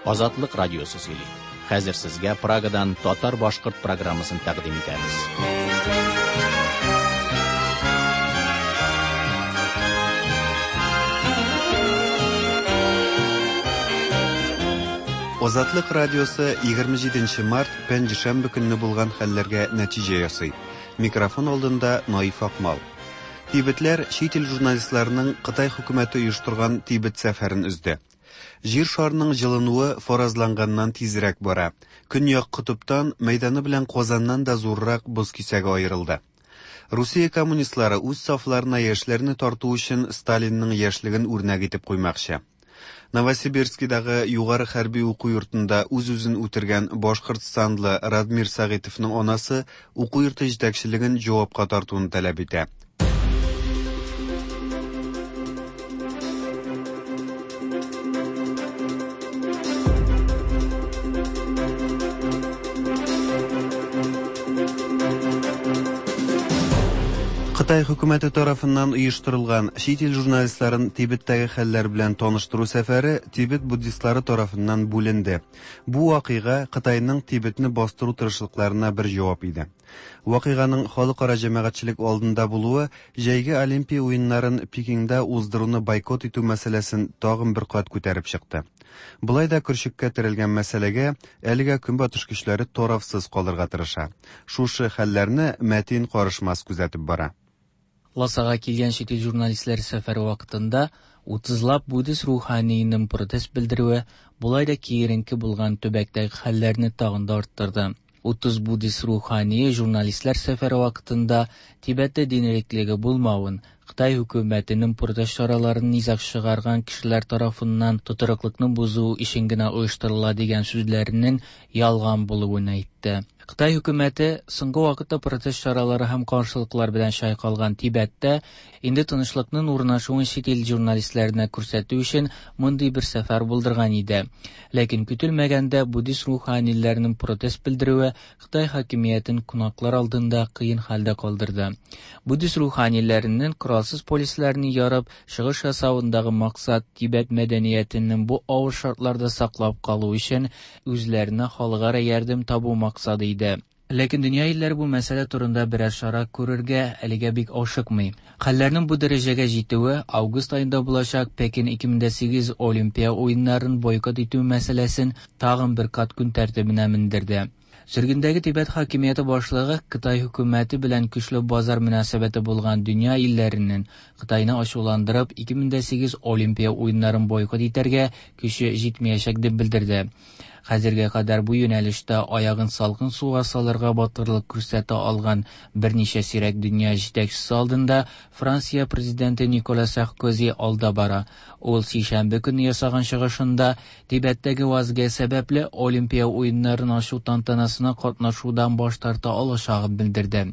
Азатлык радиосы сөйли. Хәзер сезгә Прагадан татар-башкорт программасын тәкъдим итәбез. Азатлык радиосы 27 март пәнҗешәмбе көнне булган хәлләргә нәтиҗә ясый. Микрофон алдында Наиф Акмал. Тибетләр чит ил журналистларының Кытай хөкүмәте оештырган Тибет сәфәрен өзде. Җир шарының җылынуы фаразланганнан тизрәк бара. Көньяк котыптан мәйданы белән Казаннан да зуррак боз кисәге аерылды. Русия коммунистлары үз сафларына яшьләрне тарту өчен Сталинның яшьлеген үрнәк итеп куймакчы. Новосибирскидагы югары хәрби уку йортында үз-үзен үтергән башкортстанлы Радмир Сәгыйтовның анасы уку йорты җитәкчелеген җавапка тартуны таләп итә. Кытай хөкүмәте тарафыннан оештырылган чит ил журналистларын Тибеттәге хәлләр белән таныштыру сәфәре Тибет буддистлары тарафыннан бүленде. Бу вакыйга Кытайның Тибетне бастыру тырышлыкларына бер җавап иде. Вакыйганың халыкара җәмәгатьчелек алдында булуы җәйге Олимпия уеннарын Пекинда уздыруны бойкот итү мәсьәләсен тагын бер кат күтәреп чыкты. Болай да көрчеккә терәлгән мәсьәләгә әлегә Көнбатыш көчләре тарафсыз калырга тырыша. Шушы хәлләрне Мәтин Карышмас күзәтеп бара. Ласага килгән чит ил журналистлары сәфәре вакытында утызлап буддист руханиенең протест белдерүе болай да киеренке булган төбәктәге хәлләрне тагын да арттырды. 30 буддист рухание журналистлар сәфәре вакытында Тибеттә дин иреклеге булмавын, Кытай хөкүмәтенең протест чараларын низаг чыгарган кешеләр тарафыннан тотрыклыкны бозу өчен генә оештырыла дигән сүзләренең ялган булуын әйтте. Кытай хөкүмәте соңгы вакытта протест чаралары һәм каршылыклар белән чайкалган Тибеттә инде тынычлыкның урнашуын чит ил журналистларына күрсәтү өчен мондый бер сәфәр булдырган иде. Ләкин көтелмәгәндә буддист руханиләренең протест белдерүе Кытай хакимиятен кунаклар алдында кыен хәлдә калдырды. Буддист руханиләренең коралсыз полисларны ярып чыгыш ясавындагы максат Тибет мәдәниятенең бу авыр шартларда саклап калу өчен үзләренә халыкара ярдәм табу максаты иде. Ләкин дөнья илләре бу мәсьәлә турында берәр чара күрергә әлегә бик ашыкмый. Хәлләрнең бу дәрәҗәгә җитүе август аенда булачак Пекин 2008 Олимпия уеннарын бойкот итү мәсьәләсен тагын бер кат көн тәртибенә мендерде. Сөргендәге Тибет хакимияте башлыгы Кытай хөкүмәте белән көчле базар мөнәсәбәте булган дөнья илләренең Кытайны ачуландырып 2008 Олимпия уеннарын бойкот итәргә көче җитмәячәк дип белдерде. Хәзергә кадәр бу юнәлештә аягын салкын суга салырга батырлык күрсәтә алган берничә сирәк дөнья җитәкчесе алдында Франция президенты Никола Саркози алда бара. Ул сишәмбе көнне ясаган чыгышында Тибеттәге вазгыять сәбәпле Олимпия уеннарын ачу тантанасына катнашудан баш тарта алачагын белдерде.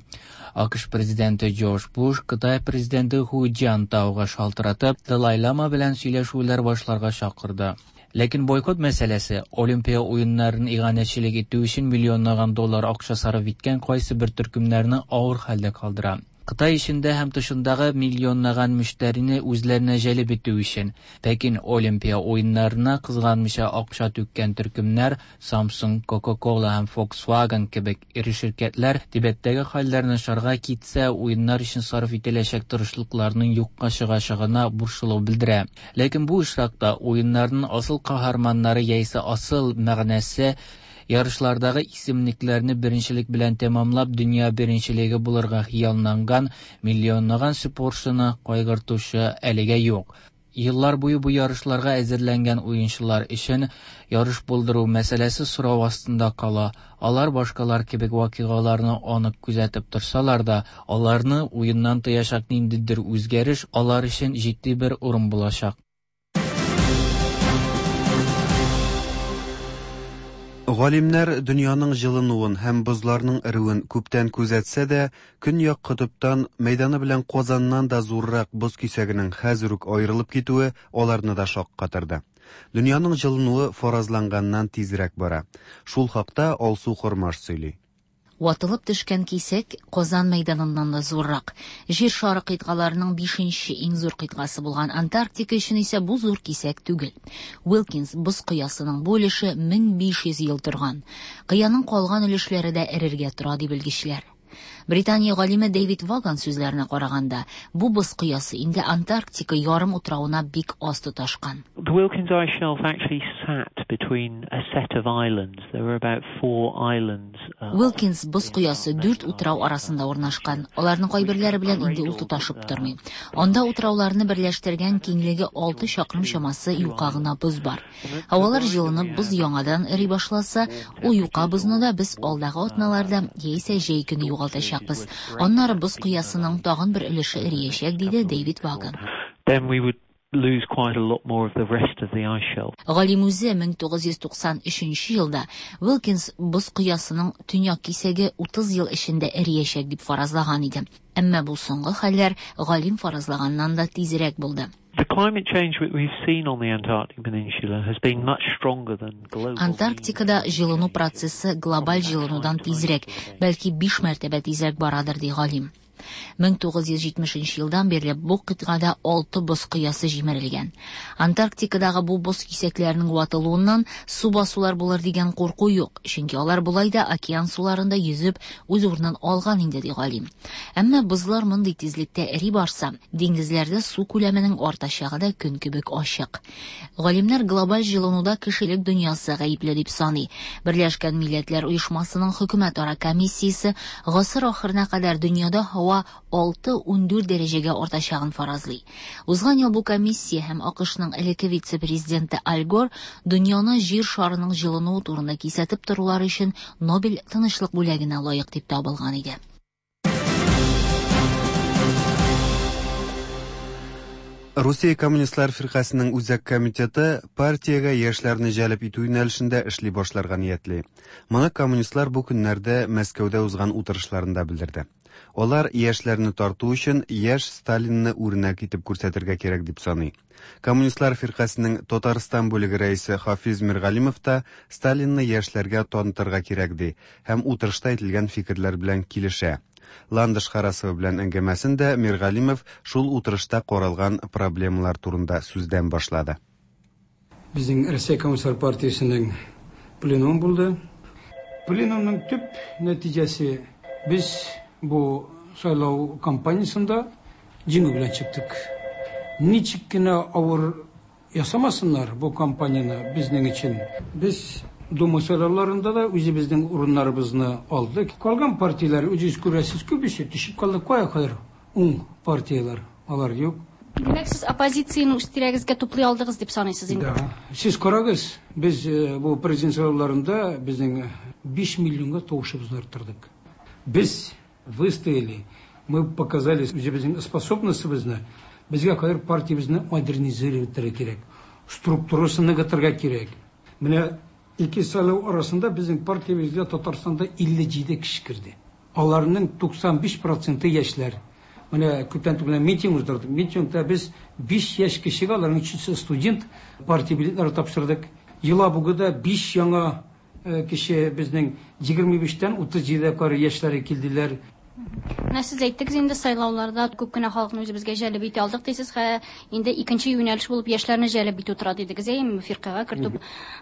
АКШ президенты Джордж Буш Кытай президенты Ху Цзянтауга шалтыратып, Далай-лама белән сөйләшүләр башларга чакырды. Ләкин бойкот мәсьәләсе Олимпия уеннарын иганәчелек итү өчен миллионлаган доллар акча сарыф иткән кайсы бер төркемнәрне авыр хәлдә калдыра. Кытай эчендә һәм тышындагы миллионлаган мөштәрине үзләренә җәлеп итү өчен, Пекин Олимпия уеннарына кызганмыйча акча түккән төркемнәр Samsung, Coca-Cola һәм Volkswagen кебек эре ширкәтләр Тибеттәге хәлләр начарга китсә, уеннар өчен сарыф ителәчәк тырышлыкларның юкка чыгачагына борчылу белдерә. Ләкин бу очракта уеннарның асыл каһарманнары яисә асыл мәгънәсе ярышлардагы исемлекләрне беренчелек белән тәмамлап дөнья беренчелеге булырга хыялланган миллионлаган спортчыны кайгыртучы әлегә юк. Еллар буе бу ярышларга әзерләнгән уенчылар өчен ярыш булдыру мәсьәләсе сорау астында кала. Алар башкалар кебек вакыйгаларны анык күзәтеп торсалар да, аларны уеннан тыячак ниндидер үзгәреш алар өчен җитди бер урын булачак. Галимнәр дөньяның җылынуын һәм бозларның эреүен күптән күзәтсә дә, Көньяк котыптан мәйданы белән Казаннан да зуррак боз кисәгенең хәзер үк аерылып китүе аларны да шаккатырды. Дөньяның җылынуы фаразланганнан тизрәк бара. Шул хакта Алсу Хормаш сөйли. Ватылып төшкән кисәк Казан мәйданыннан да зуррак. Җир шары кыйтгаларының бишенче иң зур кыйтгасы булган Антарктика өчен исә бу зур кисәк түгел. Уилкинс боз кыясының бу өлеше 1500 ел торган. Кыяның калган өлешләре дә эрергә тора, ди белгечләр. Британия галиме Дэвид Ваган сүзләренә караганда, бу боз кыясы инде Антарктика ярым утравына бик аз тоташкан. The Wilkins Ice Shelf actually sat between a set of islands. There were about four islands. Уилкинс боз коясы дүрт утрау арасында урнашкан. Аларның кайберләре белән инде ул тоташып тормый. Анда утрауларны берләштергән киңлеге 6 чакрым чамасы юка гына боз бар. Һавалар җылынып, боз яңадан эри башласа, ул юка бозны да без алдагы атналарда яисә җәй көне югалтачакбыз. Аннары боз кыясының тагын бер өлеше эриячәк, диде Дэвид Ваган. Then we would lose quite a lot more of the rest of the ice shelf. Галим үзе 1993 елда Уилкинс боз кыясының төньяк кисәге 30 ел эчендә эриячәк дип фаразлаган иде. Әмма бу соңгы хәлләр галим фаразлаганнан да тизрәк булды. The climate change that we've seen on the Antarctic Peninsula has been much stronger than global. Антарктикада җылыну процессы глобаль җылынудан тизрәк, бәлки 5 мәртәбә тизрәк барадыр, ди галим. 1970 елдан бирле бу кыйтгада 6 боз кыясы җимерелгән. Антарктикадагы бу боз кисәкләренең ватылуыннан су басулар булыр дигән курку юк, чөнки алар болай да океан суларында йөзеп үз урынын алган инде, ди галим. Әмма бозлар мондый тизлектә эри барса, диңгезләрдә су күләменең артачагы да көн кебек ачык. Галимнәр глобаль җылынуда кешелек дөньясы гаепле дип саный. Берләшкән Милләтләр Оешмасының хөкүмәтара комиссиясе гасыр ахырына кадәр дөньяда һава 6-14 дәрәҗәгә артачагын фаразлый. Узган ел бу комиссия һәм АКШның элекке вице-президенты Аль Гор дөньяны җир шарының җылынуы турында кисәтеп торулары өчен Нобель тынычлык бүләгенә лаек дип табылган иде. Русия Коммунистлар фиркасының үзәк комитеты партиягә яшьләрне җәлеп итү юнәлешендә эшли башларга ниятли. Моны коммунистлар бу көннәрдә Мәскәүдә узган утырышларында белдерде. Алар яшьләрне тарту өчен яшь Сталинны үрнәк итеп күрсәтергә кирәк дип саный. Коммунистлар фиркасының Татарстан бүлеге рәисе Хафиз Миргалимов та Сталинны яшьләргә танытырга кирәк ди һәм утырышта әйтелгән фикерләр белән килешә. Ландыш Харасова белән әңгәмәсен дә Миргалимов шул утырышта каралган проблемалар турында сүздән башлады. Безнең Россия Коммунистлар партиясенең пленумы булды. Пленумның төп нәтиҗәсе без бу сайлау кампаниясендә җиңү белән чыктык. Ничек кенә авыр ясамасыннар бу кампанияне безнең өчен. Без Дума сайлауларында да үзебезнең урыннарыбызны алдык. Калган партияләр үзегез күрәсез, күбесе төшеп калды. Кая кадәр уң партияләр алар юк. Димәк, сез оппозицияне үз тирәгезгә туплый алдыгыз дип саныйсыз инде. Да. Сез карагыз, без бу президент сайлауларында безнең 5 миллионга тавышыбызны арттырдык. Без выстояли, мы показали үзебезнең способностыбызны. Безгә хәзер партиябезне модернизировать итәргә кирәк, структурасын ныгытырга кирәк. Менә ике сайлау арасында безнең партиябезгә Татарстанда 57 кеше керде. Аларның 95% яшьләр. Менә күптән түгел митинг уздырдык. Митингта без 5 яшь кешегә, аларның өчесе студент, партия билетлары тапшырдык. Елабугада 5 яңа кеше безнең 25-тән 37-гә кадәр яшьләре килделәр. Менә сез әйттегез инде сайлауларда күп кенә халыкны үзебезгә җәлеп итә алдык дисез, хә инде икенче юнәлеш булып яшьләрне җәлеп итү тора дидегез, әйеме, фиркагә кертү.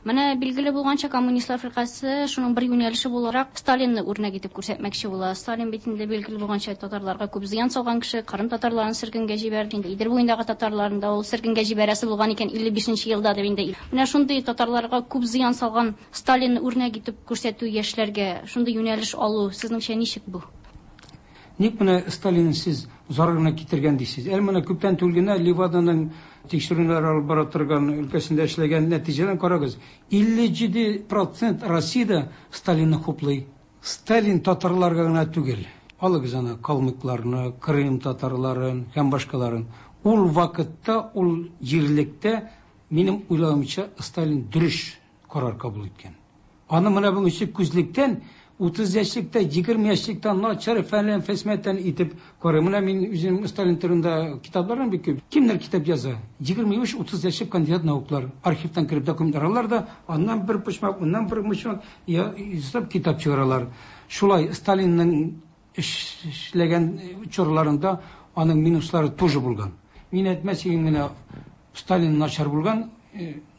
Менә билгеле булганча коммунистлар фиркасе шуның бер юнәлеше буларак Сталинны үрнәк итеп күрсәтмәкче була. Сталин бит инде билгеле булганча татарларга күп зыян салган кеше, Кырым татарларын сөргенгә җибәрде, инде Идел буендагы татарларын да ул сөргенгә җибәрәсе булган икән 55 елда дип инде. Менә шундый татарларга күп зыян салган Сталинны үрнәк итеп күрсәтү яшьләргә, шундый юнәлеш алу сезнеңчә ничек бу? Ник менә Сталин сез зарарына китергән дисез? Әле менә күптән түгел генә Леваданың тикшерүләр алып бара торган өлкәсендә эшләгән нәтиҗәдән карагыз. 57% Россиядә Сталинны хуплый. Сталин татарларга гына түгел. Алыгыз аны калмыкларны, Крым татарларын һәм башкаларын. Ул вакытта, ул җирлектә минем уйлавымча Сталин дөрес карар кабул иткән. Аны менә бүгенге күзлектән 30 яшьлектә, 20 яшьлектә начар фәлән фәсмәтән итеп карый. Менә мин үзем Сталин турында китапларым бик күп. Кемнәр китап яза? 25-30 яшьлек кандидат науклар. Архивтан кереп документлар алалар да, аннан бер почмак, аннан бер почмак ясап китап чыгаралар. Шулай Сталинның эшләгән чорларында аның минуслары тоже булган. Мин әйтмәс идем генә Сталин начар булган,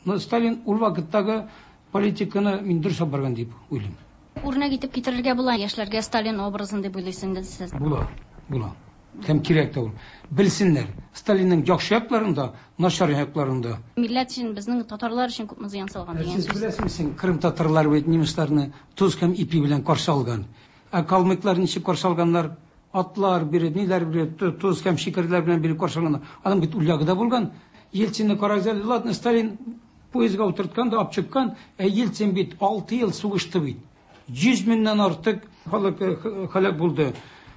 но Сталин ул вакыттагы политиканы мин дөрес алып барган дип уйлыйм. Үрнәк итеп китерергә була яшьләргә Сталин образын дип уйлыйсыз инде сез. Була, була. Һәм кирәк тә ул. Белсеннәр, Сталинның яхшы якларын да, начар якларын да. Милләт өчен, безнең татарлар өчен күпме зыян салган дигән Сез беләсезме, син Крым татарлары бит немецларны тоз һәм ипи белән каршы алган. Ә калмыклар ничек каршы алганнар? Атлар биреп, ниләр биреп, тоз һәм шикәрләр белән биреп каршы алганнар. Аның бит ул ягы да булган. Ельцинны карагыз әле, ладно, Сталин поездга утырткан да алып чыккан, ә Ельцин бит 6 ел сугышты бит. 100 меңнән артык халык һәлак булды.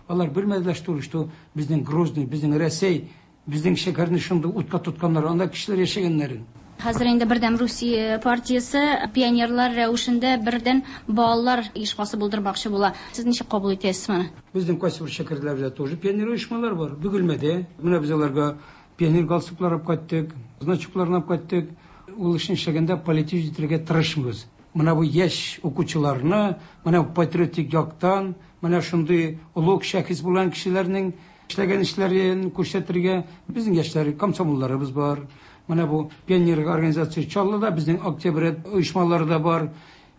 Алар белмәделәр, что, что безнең Грозный, безнең Рәсәй, безнең шәһәрне шундый утка тотканнар, анда кешеләр яшәгәннәрен. Хәзер инде Бердәм Русия партиясе пионерлар рәвешендә бердән балалар оешмасы булдырмакчы була. Сез ничек кабул итәсез моны? Безнең кайсы бер шәһәрләрдә тоже пионер оешмалар бар. Бөгелмәдә. Менә без аларга пионер галстуклар алып кайттык, значокларын алып кайттык. Ул эшне эшләгәндә политик итәргә тырышмыйбыз. Менә бу яшь укучыларны, менә бу патриотик яктан, менә шундый олуг шәхес булган кешеләрнең эшләгән эшләрен күрсәтергә безнең яшьләр комсомолларыбыз бар. Менә бу пионер организация Чаллыда безнең октябрь оешмалары да бар.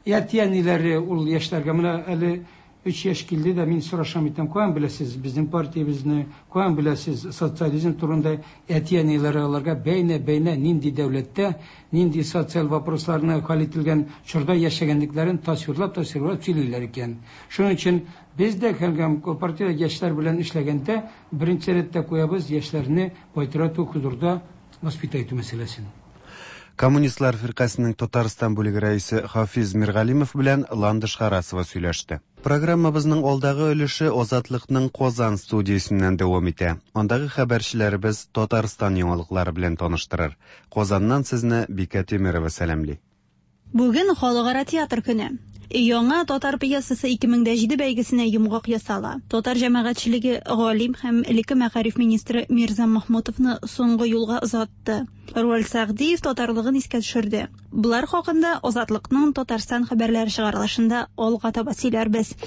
Әти-әниләре ул яшьләргә менә әле 3 яшь килде дә мин сорашам итәм, каян беләсез безнең партиябезне, каян беләсез социализм турында? Әти-әниләре аларга бәйнә-бәйнә нинди дәүләттә, нинди социаль вопросларны хәл ителгән чорда яшәгәнлекләрен тасвирлап-тасвирлап сөйлиләр икән. Шуның өчен без дә һәм партия яшьләр белән эшләгәндә беренче рәттә куябыз яшьләрне патриотик хозурда воспитать итү мәсьәләсен. Коммунистлар фиркасының Татарстан бүлеге рәисе Хафиз Миргалимов белән Ландыш Харасова сөйләште. Программабызның алдагы өлеше Азатлыкның Казан студиясеннән дәвам итә. Андагы хәбәрчеләребез Татарстан яңалыклары белән таныштырыр. Казаннан сезне Бикә Тимирова сәламли. Бүген Халыкара театр көне. Яңа татар пьесасы 2007 бәйгесенә йомгак ясала. Татар җәмәгатьчелеге галим һәм элекке мәгариф министры Мирза Махмутовны соңгы юлга озатты. Руаль Сәгъдиев татарлыгын искә төшерде. Болар хакында Азатлыкның Татарстан хәбәрләре чыгарылышында алга таба сөйләрбез.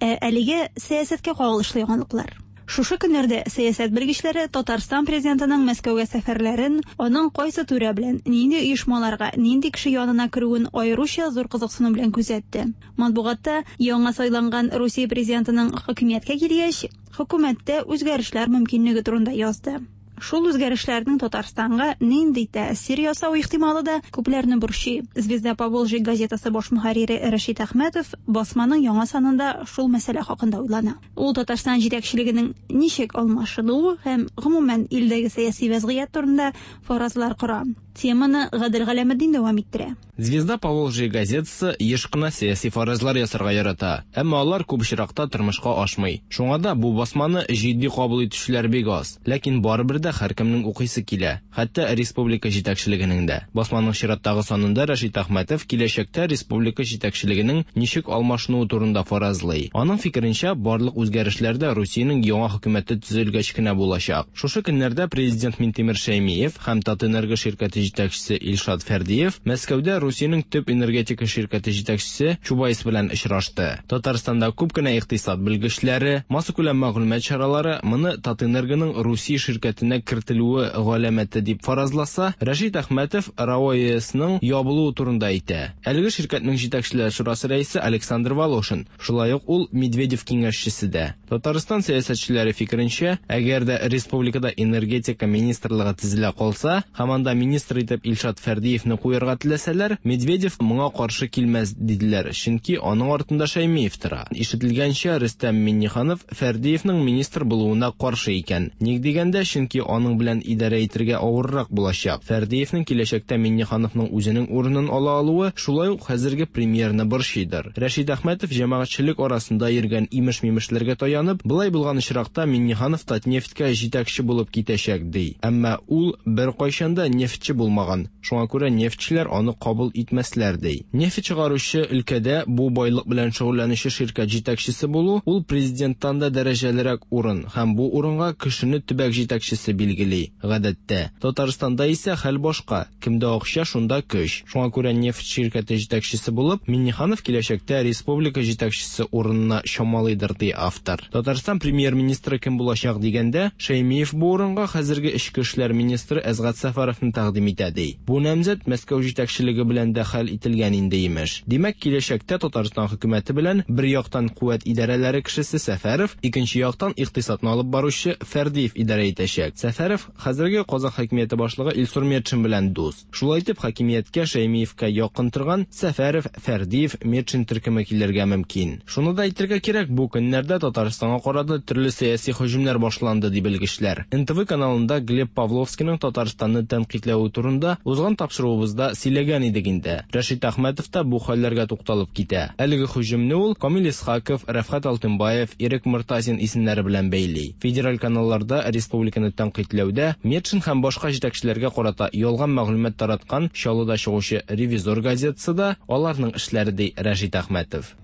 Ә әлегә сәясәткә кагылышлы яңалыклар. Шушы көннәрдә сәясәт белгечләре Татарстан президентының Мәскәүгә сәфәрләрен, аның кайсы түрә белән, нинди оешмаларга, нинди кеше янына керүен аеруча зур кызыксыну белән күзәтте. Матбугатта яңа сайланган Русия президентының хакимияткә килгәч, хөкүмәттә үзгәрешләр мөмкинлеге турында язды. Шул үзгәрешләрнең Татарстанга нинди тәэсир ясау ихтималы да күпләрне борчый. Звезда Поволжья газетасы баш мөхәррире Рәшит Әхмәтов басманың яңа санында шул мәсьәлә хакында уйлана. Ул Татарстан җитәкчелегенең ничек алмашынуы һәм гомумән илдәге сәяси вәзгыять турында фаразлар кора. Теманы Гадел Галәметдин дәвам иттерә. Звезда Поволжья газетасы еш кына сәяси фаразлар ясарга ярата, әмма алар күп очракта тормышка ашмый. Шуңа да бу басманы җитди кабул итүчеләр бик аз. Ләкин барыбер дә һәркемнең укыйсы килә, хәтта республика җитәкчелегенең дә. Басманың чираттагы санында Рәшит Әхмәтов киләчәктә республика җитәкчелегенең ничек алмашынуы турында фаразлый. Аның фикеренчә, барлык үзгәрешләр дә Русиянең яңа хөкүмәте төзелгәч кенә булачак. Шушы көннәрдә президент Минтимер Шәймиев һәм Татэнерго ширкәте җитәкчесе Илшат Фәрдиев Мәскәүдә Русиянең төп энергетика ширкәте җитәкчесе Чубайс белән очрашты. Татарстанда күп кенә икътисад белгечләре, массакүләм мәгълүмат чаралары моны Татэнергоның Русия ширкәтенә кертелүе галәмәте дип фаразласа, Рәшит Әхмәтов РАО ЕСның ябылуы турында әйтә. Әлеге ширкәтнең җитәкчеләр шурасы рәисе Александр Волошин, шулай ук ул Медведев киңәшчесе дә. Татарстан сәясәтчеләре фикеренчә, әгәр дә республикада энергетика министрлыгы төзелә калса, һәм анда министр итеп Илшат Фәрдиевне куярга теләсәләр, Медведев моңа каршы килмәс диделәр, чөнки аның артында Шәймиев тора. Ишетелгәнчә, Рөстәм Миңнеханов Фәрдиевнең министр булуына каршы икән. Ник дигәндә, чөнки аның белән идарә итәргә авыррак булачак. Фәрдиевнең киләчәктә Миңнехановның үзенең урынын ала алуы шулай ук хәзерге премьерны борчыйдыр. Рәшит Әхмәтов җәмәгатьчелек арасында йөргән имеш-мимешләргә таянып, былай булган очракта Миңнеханов Татнефтькә җитәкче булып китәчәк ди. Әмма ул беркайчан да нефтьче булмаган. Шуңа күрә нефтьчеләр аны кабул итмәсләр ди. Нефть чыгаручы өлкәдә бу байлык белән шөгыльләнүче ширкәт җитәкчесе булу ул президенттан да дәрәҗәлерәк урын һәм бу урынга кешене төбәк җитәкчесе хакимияте билгели, гадәттә. Татарстанда исә хәл башка, кемдә акча, шунда көч. Шуңа күрә нефть ширкәте җитәкчесе булып, Миңнеханов киләчәктә республика җитәкчесе урынына чамалыйдыр, ди автор. Татарстан премьер-министры кем булачак дигәндә, Шәймиев бу урынга хәзерге эчке эшләр министры Әсгать Сәфәровны тәкъдим итә, ди. Бу намзәт Мәскәү җитәкчелеге белән дә хәл ителгән инде, имеш. Димәк, киләчәктә Татарстан хөкүмәте белән бер яктан куәт идарәләре кешесе Сәфәров, икенче яктан икътисадны алып баручы Фәрдиев идарә итәчәк. Сәфәров хәзерге Казан хакимияте башлыгы Илсур Метшин белән дус. Шулай итеп, хакимияткә Шәймиевкә якын торган Сәфәров, Фәрдиев, Метшин төркеме килергә мөмкин. Шуны да әйтергә кирәк, бу көннәрдә Татарстанга карата төрле сәяси һөҗүмнәр башланды, ди белгечләр. НТВ каналында Глеб Павловскийның Татарстанны тәнкыйтьләве турында узган тапшыруыбызда сөйләгән идек инде. Рәшит Әхмәтов та бу хәлләргә тукталып китә. Әлеге һөҗүмне ул Камил Исхаков, Рәфгать Алтынбаев, Ирек Мортазин исемнәре белән бәйли. Федераль каналларда республиканы тәнкыйтьләүдә Метшин һәм башка җитәкчеләргә карата ялган мәгълүмат тараткан Чаллыда чыгучы Ревизор газетасы да аларның эшләре, ди Рәшит Әхмәтов.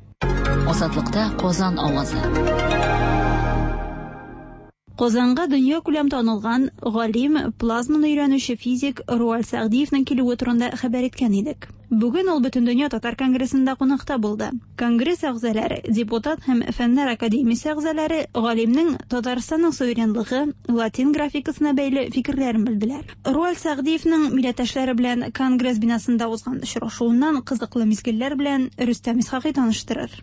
Азатлыкта Казан авазы. Казанга дөньякүләм танылган галим, плазманы өйрәнүче физик Руаль Сәгъдиевнең килүе турында хәбәр иткән идек. Бүген ул Бөтендөнья татар конгрессында кунакта булды. Конгресс әгъзалары, депутат һәм Фәннәр академиясе әгъзалары галимнең Татарстанның суверенлыгы, латин графикасына бәйле фикерләрен белделәр. Руаль Сәгъдиевнең милләттәшләре белән Конгресс бинасында узган очрашуыннан кызыклы мизгелләр белән Рөстәм Исхакый таныштырыр.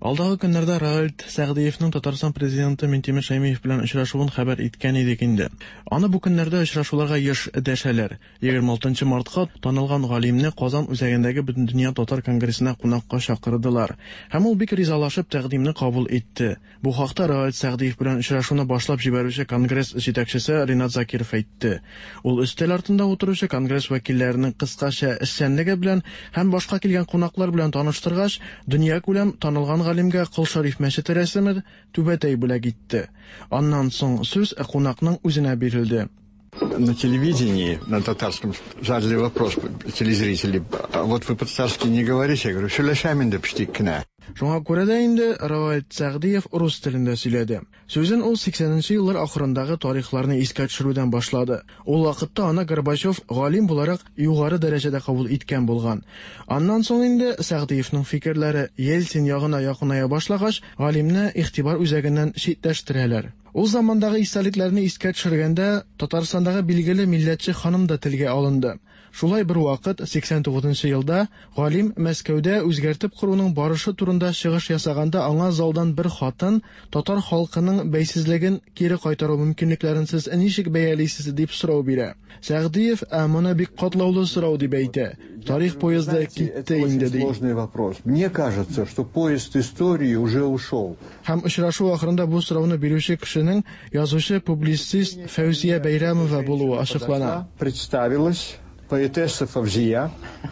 Алдагы көннәрдә Раальд Сәгъдиевның Татарстан президенты Минтимер Шәймиев белән очрашуын хәбәр иткән идек инде. Аны бу көннәрдә очрашуларга еш дәшәләр. 26 мартка танылган галимне Казан үзәгендәге Бөтендөнья татар конгрессына кунакка чакырдылар. Һәм ул бик ризалашып тәкъдимне кабул итте. Бу хакта Раальд Сәгъдиев белән очрашуны башлап җибәрүче конгресс җитәкчесе Ринат Закиров әйтте. Ул өстәл артында утыручы конгресс вәкилләренең кыскача эшчәнлеге белән һәм башка килгән кунаклар белән таныштыргач, дөньякүләм танылган галимгә Кол Шәриф мәчете рәсеме, түбәтәй бүләк итте. Аннан соң сүз кунакның үзенә бирелде. На телевидении, на татарском, задали вопрос телезрители. А вот вы по-татарски не говорите? Я говорю, сөйләшәм инде печтик кенә. Шуңа күрә дә инде Равальд Сәгъдиев рус телендә сөйләде. Сүзен ул 80 нче еллар ахырындагы тарихларны искә төшерүдән башлады. Ул вакытта аны Горбачев галим буларак югары дәрәҗәдә кабул иткән булган. Аннан соң инде Сәгъдиевның фикерләре Ельцин ягына якыная башлагач, галимне игътибар үзәгеннән читләштерәләр. Ул замандагы истәлекләрне искә төшергәндә, Татарстандагы билгеле милләтче ханым да телгә алынды. Шулай бер вакыт, 89 нчы елда, галим Мәскәүдә үзгәртеп коруның барышы турында чыгыш ясаганда аңа залдан бер хатын, татар халкының бәйсезлеген кире кайтару мөмкинлекләрен сез ничек бәялисез, дип сорау бирә. Сәгъдиев, ә моны бик катлаулы сорау дип әйтә. Тарих поезды китте инде, ди. Сложный вопрос. Мне кажется, что поезд истории уже ушел. Һәм очрашу ахырында бу сорауны бирүче кешенең язучы, публицист Фәүзия Бәйрәмова булуы ачыклана. Представилась поэтесса Фавзия.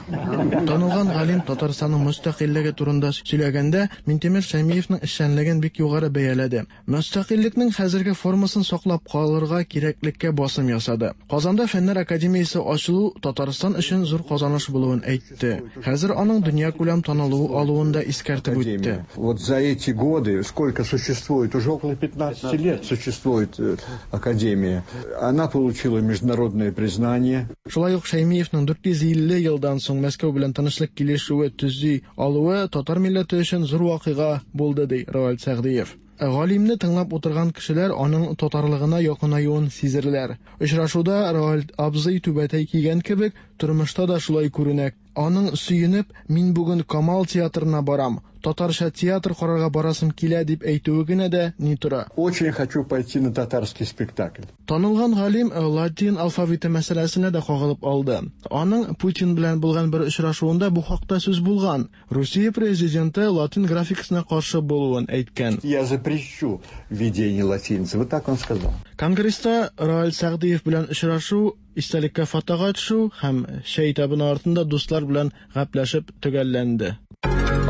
Танылган галим Татарстанның мөстәкыйльлеге турында сөйләгәндә, Минтимер Шәймиевның эшчәнлеген бик югары бәяләде. Мөстәкыйльлекнең хәзерге формасын саклап калырга кирәклеккә басым ясады. Казанда Фәннәр академиясе ачылу Татарстан өчен зур казаныш булуын әйтте. Хәзер аның дөньякүләм танылу алуын да искәртеп үтте. Вот за эти годы, сколько существует, уже около 15 лет существует э, академия, она получила международное признание. Шулай ук Шәймиевның 450 елдан соң Мәскәү белән тынычлык килешүе төзи алуы татар милләте өчен зур вакыйга булды, ди Равил Сәгъдиев. Галимне тыңлап утырган кешеләр аның татарлыгына якынаюын сизерләр. Очрашуда Равил абзый түбәтәй кигән кебек, тормышта да шулай күренә. Аның сөенеп, мин бүген Камал театрына барам, татарча театр карарга барасым килә дип әйтүе генә дә ни тора. Очень хочу пойти на татарский спектакль. Танылган галим латин алфавиты мәсьәләсенә дә кагылып алды. Аның Путин белән булган бер очрашуында бу хакта сүз булган. Русия президенты латин графикасына каршы булуын әйткән. Я запрещу введение латиницы. Вот так он сказал. Конгресста Раил Сәгъдиев белән очрашу истәлеккә фотога төшү һәм чәй табыны артында дуслар белән гәпләшеп төгәлләнде.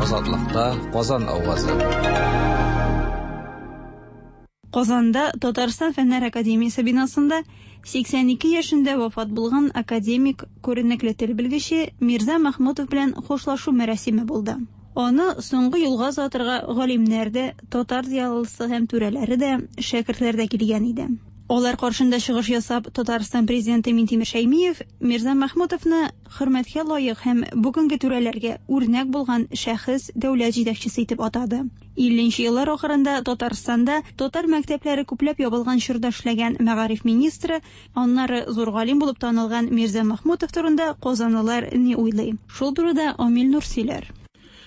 Азатлыкта Казан авазы. Казанда Татарстан Фәннәр академиясе бинасында 82 яшендә вафат булган академик, күренекле тел белгече Мирза Мәхмүтов белән хушлашу мәрасиме булды. Аны соңгы юлга озатырга галимнәр дә, татар зыялысы һәм түрәләре дә, шәкертләр дә килгән иде. Алар каршында чыгыш ясап, Татарстан президенты Минтимер Шәймиев Мирза Мәхмүтовны хөрмәткә лаек һәм бүгенге түрәләргә үрнәк булган шәхес, дәүләт җитәкчесе итеп атады. 50 нче еллар ахырында Татарстанда татар мәктәпләре күпләп ябылган чорда эшләгән мәгариф министры, аннары зур галим булып танылган Мирза Мәхмүтов турында казанлылар ни уйлый? Шул турыда Амил Нур сөйләр.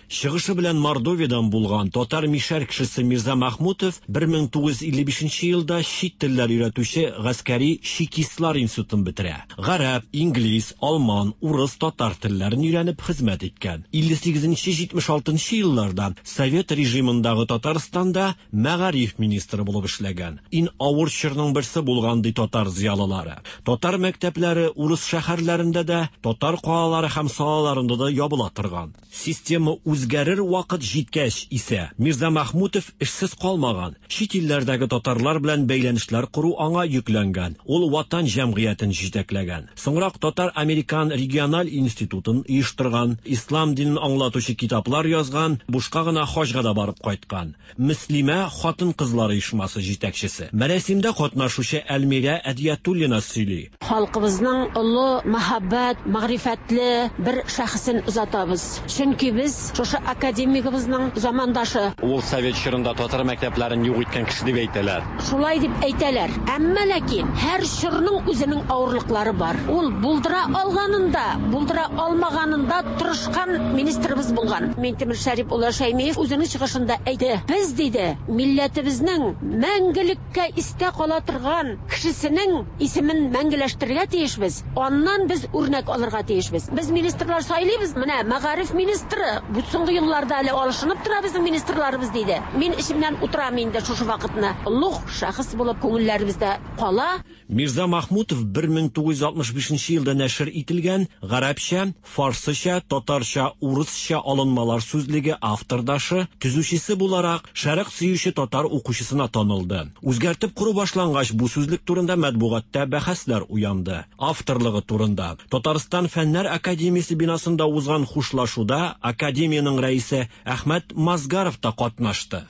Чыгышы белән Мордовиядән булган татар-мишәр кешесе Мирза Мәхмүтов 1955 елда чит телләр өйрәтүче гаскәри чекистлар институтын бетерә. Гарәп, инглиз, алман, урыс, татар телләрен өйрәнеп хезмәт иткән. 58-76 елларда совет режимындагы Татарстанда мәгариф министры булып эшләгән. Ин авыр чорның берсе булган, ди татар зыялылары. Татар мәктәпләре урыс шәһәрләрендә дә, татар калалары һәм салаларында да ябыла торган. Система үзгәрер вакыт җиткәч исә, Мирза Мәхмүтов эшсез калмаган. Чит илләрдәге татарлар белән бәйләнешләр кору аңа йөкләнгән. Ул Ватан җәмгыятен җитәкләгән. Соңрак Татар-американ региональ институтын оештырган, ислам динен аңлатучы китаплар язган, бушка гына хаҗга да барып кайткан. Мөслимә хатын-кызлар оешмасы җитәкчесе. Мәрәсимдә катнашучы Әлмирә Әдиятуллина сөйли. Халкыбызның олы, мәһабәт, мәгърифәтле бер шәхесен озатабыз. Чөнки без шушы академигыбызның замандашы. Ул совет чорында татар мәктәпләрен юк иткән кеше дип әйтәләр. Шулай дип әйтәләр. Әмма ләкин һәр чорның үзенең авырлыклары бар. Ул булдыра алганын да, булдыра алмаганын да тырышкан министрыбыз булган. Минтимер Шәрип улы Шәймиев үзенең чыгышында әйтте, без, диде, милләтебезнең мәңгелеккә истә кала торган кешесенең исемен мәңгеләштерергә тиешбез, аннан без үрнәк алырга тиешбез. Без министрлар сайлыйбыз, менә мәгариф министры, бу соңгы елларда әле алышынып тора безнең министрларыбыз, диде. Мин эчемнән утырам инде шушы вакытны. Олуг шәхес булып күңелләребездә кала. Мирза Махмутов 1965 нче елда нәшер ителгән Гарәпчә, фарсыча, татарча, урысча алынмалар сүзлеге автордашы, төзүчесе буларак, шәрык сөюче татар укучысына танылды. Үзгәртеп кору башлангач, бу сүзлек турында матбугатта бәхәсләр уянды. Авторлыгы турында Татарстан Фәннәр академиясе бинасында узган хушлашуда академиянең рәисе Әхмәт Мазгаров та катнашты.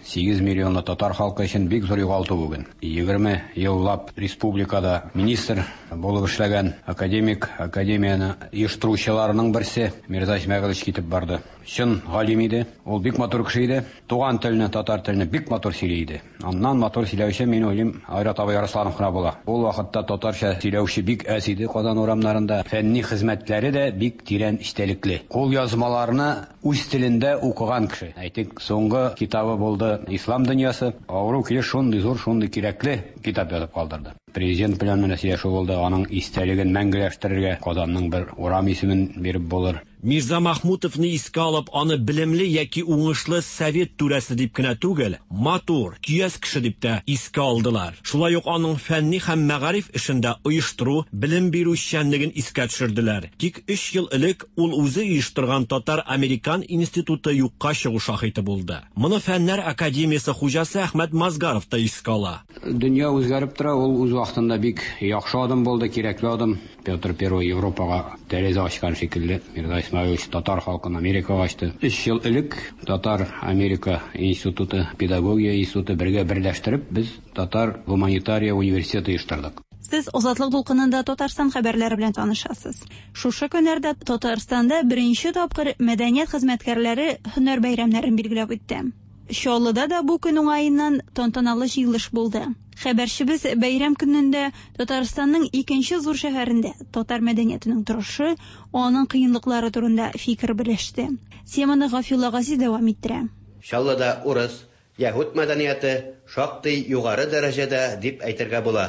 8 миллионлы татар халкы өчен бик зур югалту бүген. 20 еллап республикада министр булып эшләгән академик, академияне оештыручыларның берсе Мирза Исмәгыйлович китеп барды. Чын галим иде, ул бик матур кеше иде. Туган телне, татар телне бик матур сөйли иде. Аннан матур сөйләүче, мин уйлыйм, Айрат абый Арсланов кына була. Ул вакытта татарча сөйләүче бик әз иде Казан урамнарында. Фәнни хезмәтләре дә бик тирән эчтәлекле. Кулъязмаларны Үз телендә укыган кеше. Әйтик, соңгы китабы булды Ислам дөньясы. Авыру килеш шундый зур, шундый кирәкле китап язып калдырды. Президент белән менә сөйләшү булды, аның истәлеген мәңгеләштерергә Казанның бер урам исемен биреп булыр. Мирза Махмутовны искә алып, аны белемле яки уңышлы совет түрәсе дип кенә түгел, матур, көяз кеше дип тә искә алдылар. Шулай ук аның фәнни һәм мәгариф эшендә оештыру, белем бирү эшчәнлеген искә төшерделәр. Тик өч ел элек Ул үзе оештырган Татар-американ институты юкка чыгу шаһиты булды. Моны Фәннәр академиясе хуҗасы Әхмәт Мазгаров та искә ала. Дөнья үзгәреп тора, ул үз вакытында бик яхшы адым булды, кирәкле адым. Петр Первый Европага тәрәзә ачкан шикелле, Мирза Исмәгыйлевич татар халкын Америкага ачты. Өч ел элек Татар-Америка институты, педагогия институты бергә берләштереп, без Татар гуманитария университеты оештырдык. Сез Азатлык дулкынында Татарстан хәбәрләре белән танышасыз. Шушы көннәрдә Татарстанда беренче тапкыр мәдәният хезмәткәрләре һөнәр бәйрәмнәрен билгеләп үтте. Чаллыда да бу көн уңаеннан тантаналы җыелыш булды. Хәбәрчебез бәйрәм көнендә Татарстанның икенче зур шәһәрендә татар мәдәниятенең торышы, аның кыенлыклары турында фикер белеште. Теманы Гафиулла Газиз дәвам иттерә. Чаллыда урыс, яһүд мәдәнияте шактый югары дәрәҗәдә дип әйтергә була.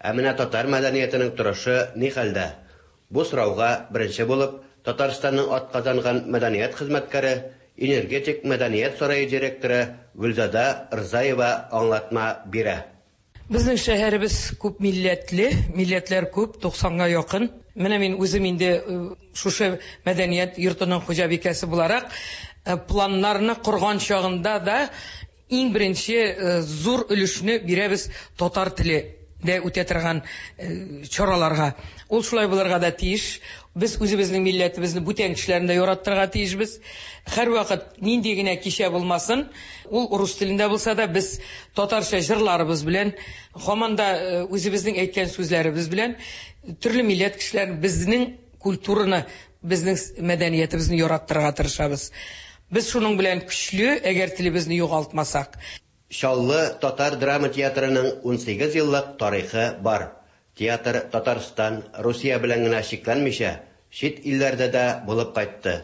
Ә менә татар мәдәниятенең торышы ни хәлдә? Бу сорауга беренче булып Татарстанның атказанган мәдәният хезмәткәре, Энергетик мәдәният сарае директоры Гөлзада Рзаева аңлатма бирә. Безнең шәһәребез күп милләтле, милләтләр күп, 90 га якын. Менә мин үзем инде шушы мәдәният йортының хуҗабикәсе буларак, планнарны корган чагында да иң беренче зур өлешне бирәбез татар теле дә үтә торган чараларга. Ул шулай булырга да тиеш. Без үзебезнең милләтебезне бүтән кешеләрне дә яраттырырга тиешбез. Һәрвакыт нинди генә кичә булмасын, ул рус телендә булса да, без татарча җырларыбыз белән, һаман да үзебезнең әйткән сүзләребез белән төрле милләт кешеләрен безнең культураны, безнең мәдәниятебезне яраттырырга тырышабыз. Без шуның белән көчле, әгәр телебезне югалтмасак. Чаллы татар драма театрының 18 еллык тарихы бар. Театр Татарстан, Русия белән генә чикләнмичә, чит илләрдә дә булып кайтты.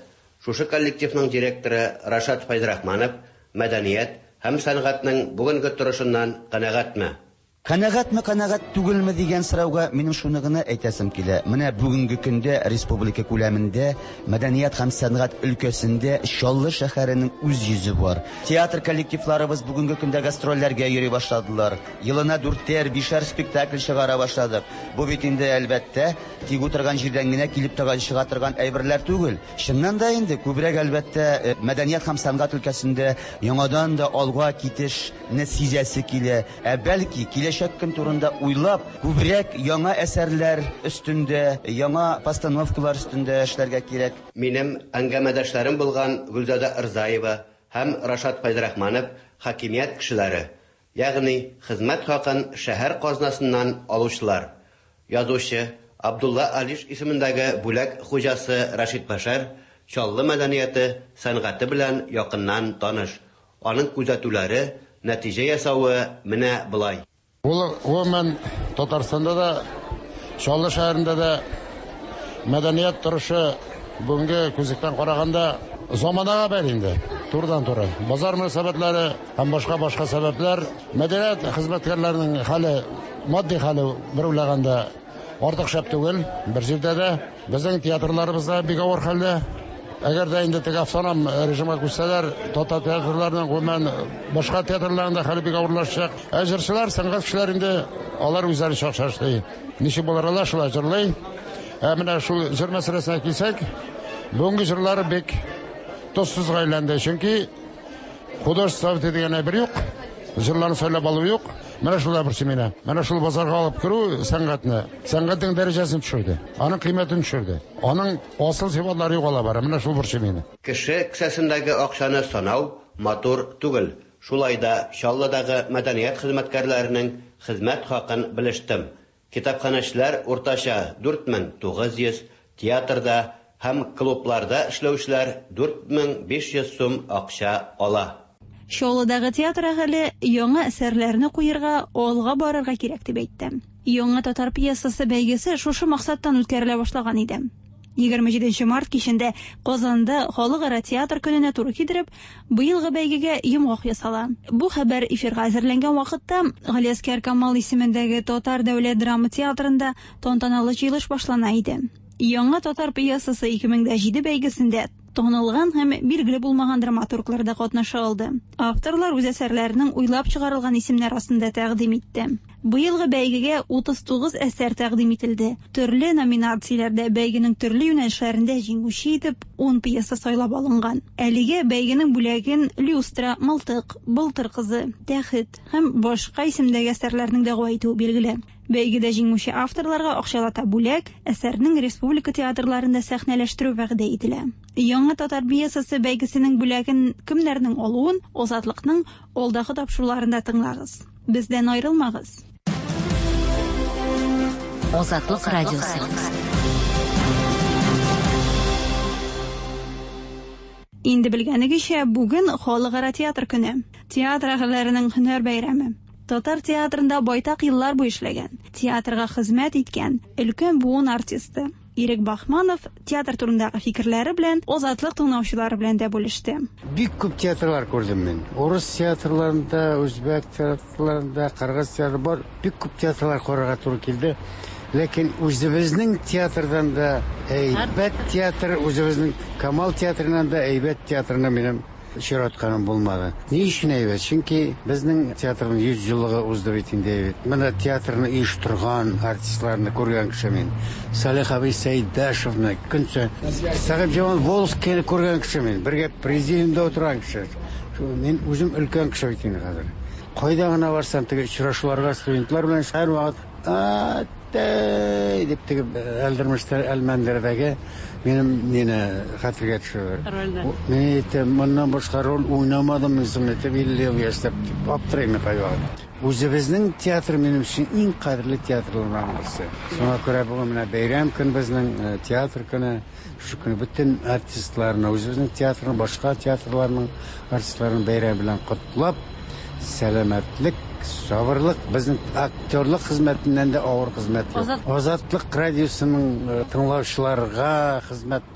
Шушы коллективның директоры Рашат Фәйзрахманов мәдәният һәм сәнгатьнең бүгенге торышыннан канәгатьме? Канәгатьме, канәгать түгелме дигән сорауга минем шуны гына әйтәсем килә. Менә бүгенге көндә республика күләмендә мәдәният һәм сәнгать өлкәсендә Чаллы шәһәренең үз йөзе бар. Театр коллективларыбыз бүгенге көндә гастрольләргә йөри башладылар. Елына дүртәр, бишәр спектакль чыгара башладык. Бу бит инде, әлбәттә, тик утырган җирдән генә килеп тә чыга торган әйберләр түгел. Чыннан да инде күбрәк, әлбәттә, мәдәният һәм сәнгать өлкәсендә яңадан да алга китешне сизәсе килә. Ә бәлки, киләчәк көн турында уйлап, күбрәк яңа әсәрләр өстендә, яңа постановкалар өстендә эшләргә кирәк. Минем әңгәмәдәшләрем булган Гөлзада Рзаева һәм Рашат Фәйзрахманов хакимият кешеләре, ягъни хезмәт хакын шәһәр казнасыннан алучылар. Язучы Абдулла Алиш исемендәге бүләк хуҗасы Рәшит Бәшәр Чаллы мәдәнияте, сәнгате белән якыннан таныш. Аның күзәтүләре, нәтиҗә ясавы менә болай. Ул гомумән Татарстанда да, Чаллы шәһәрендә дә мәдәният торышы бүгенге күзлектән караганда заманага бәйле инде, турыдан-туры. Базар мөнәсәбәтләре һәм башка-башка сәбәпләр, мәдәният хезмәткәрләренең хәле, матди хәле бер уйлаганда артык шәп түгел, бер җирдә дә. Безнең театрларыбыз да бик авыр хәлдә. Әгәр дә инде теге автоном режимга күчсәләр, татар театрларының, гомумән, башка театрларның да хәле бик авырлашачак. Ә җырчылар, сәнгать кешеләр инде алар үзләре чакча эшли. Ничек булыр алар, шулай җырлый. Ә менә шул җыр мәсьәләсенә килсәк, бүгенге җырлар бик тозсызга әйләнде. Чөнки художество советы дигән әйбер юк, җырларны сайлап алу юк. Менә шулар борчый мине. Менә шул базарга алып керү сәнгатьне, сәнгатьнең дәрәҗәсен төшерде, аның кыйммәтен төшерде. Аның асыл сыйфатлары югала бара. Менә шул борчый мине. Кеше кесәсендәге акчаны санау матур түгел. Шулай да Чаллыдагы мәдәният хезмәткәрләренең хезмәт хакын белештем. Китапханәчеләр уртача 4900, театрда һәм клубларда эшләүчеләр 4500 сум акча ала. Чаллыдагы театр әһеле яңа әсәрләрне куярга, алга барырга кирәк дип әйтте. Яңа татар пьесасы бәйгесе шушы максаттан үткәрелә башлаган иде. 27 март кичендә Казанда халыкара театр көненә туры китереп, быелгы бәйгегә йомгак ясала. Бу хәбәр эфирга әзерләнгән вакытта Галиәсгар Камал исемендәге Татар дәүләт драма театрында тантаналы җыелыш башлана иде. Яңа татар пьесасы 2007 бәйгесендә танылган һәм билгеле булмаган драматурглар да катнаша алды. Авторлар үз әсәрләренең уйлап чыгарылган исемнәр астында тәкъдим итте. Быелгы бәйгегә 39 әсәр тәкъдим ителде. Төрле номинацияләрдә бәйгенең төрле юнәлешләрендә җиңүче итеп 10 пьеса сайлап алынган. Әлегә бәйгенең бүләген Люстра, Мылтык, Былтыр кызы, Тәхет һәм башка исемдәге әсәрләрнең дәгъва итүе билгеле. Бәйгедә җиңүче авторларга акчалата бүләк, әсәрнең республика театрларында сәхнәләштерү вәгъдә ителә. Яңа татар пьесасы бәйгесенең бүләген кемнәрнең алуын Азатлыкның алдагы тапшыруларында тыңлагыз. Бездән аерылмагыз. Азатлык радиосы. Инде белгәнегезчә, бүген халыкара театр көне. Театр әһелләренең һөнәр бәйрәме. Татар театрында байтак еллар буе эшләгән, театрга хезмәт иткән өлкән буын артисты Ирек Бахманов театр турындагы фикерләре белән Азатлык тыңлаучылары белән дә бүлеште. Бик күп театрлар күрдем мин. Урыс театрларында, үзбәк театрларында, кыргыз театры бар. Бик күп театрлар карарга туры килде. Ләкин үзебезнең театрдан да әйбәт театр, үзебезнең Камал театрыннан да әйбәт театрына минем очратканым булмады. Ни өчен әйбәт? Чөнки безнең театрның 100 еллыгы узды бит инде әйбәт. Менә театрны оештырган артистларны күргән кеше мин. Салих абый Сәйдәшевны, көнче Сәхибҗамал Волжскийны күргән кеше мин. Бергә президиумда утырган кеше. Мин үзем өлкән кеше бит инде хәзер. Кайда гына барсам, теге очрашуларга студентлар белән һәрвакыт Әттәй дип теге Әлдермештә Әлмәндәрдәге минем мине хәтергә төшерде. Рольне. Мин әйтәм, моннан башка роль уйнамадым мин соң әйтәм, 50 ел яшьләп дип аптырыйм мин кайвакыт. Үзебезнең театр минем өчен иң кадерле театрларның берсе. Шуңа күрә бүген менә бәйрәм көн безнең, театр көне. Шушы көнне бөтен артистларны, үзебезнең театрның, башка театрларның артистларын бәйрәм белән котлап, сәламәтлек, сабырлык, безнең актерлык хезмәтеннән дә авыр хезмәт юк. Азатлык радиосының тыңлаучыларга, хезмәт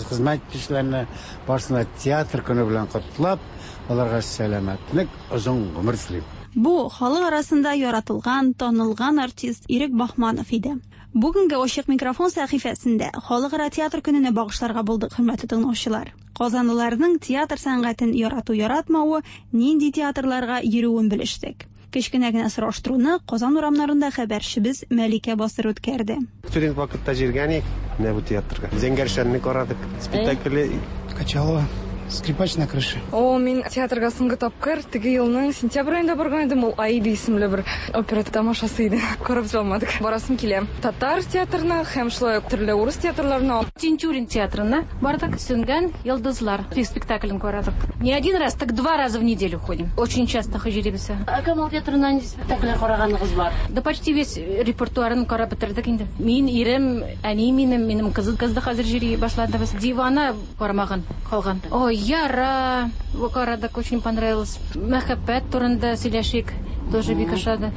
хезмәт итүчеләрне барысына театр көне белән котлап, аларга сәламәтлек, озын гомер телим. Бу, халык арасында яратылган, танылган артист Ирек Баһманов иде. Бүгенге Ачык микрофон сәхифәсендә Халыкара театр көненә багышларга булдык, хөрмәтле тыңлаучылар. Казанлыларның театр сәнгатен ярату-яратмавы, нинди театрларга йөрүен белештек. Кечкенә генә сораштыруны Казан урамнарында хәбәрчебез Мәликә Басыр үткәрде. Студент вакытта җиргән идек менә бу театрга. Зәңгәр шәлне карадык. Спектакле. Качалова. Скрипач на крыше. О, мин театрга соңгы тапкыр теге елның сентябрь аенда барган идем. Ул Аида исемле бер опера тамашасы иде. Карап бетерә алмадык. Барасым килә. Татар театрына һәм шулай ук төрле урыс театрларына. Тинчурин театрына бардык. Сүнгән йолдызлар спектаклен карадык. Не один раз, так два раза в неделю ходим. Очень часто йөрибез. Ә Камал театрына нинди спектакльләр караганыгыз бар? Да почти весь репертуарын карап бетердек инде. Мин, ирем, әни минем, минем кызы кыз да хәзер йөри башлады. Без Дивана карамаган калган. Ой, Яра карадык, очень понравилось. Мәхәббәт турында сөйләшик, тоже бик ошады.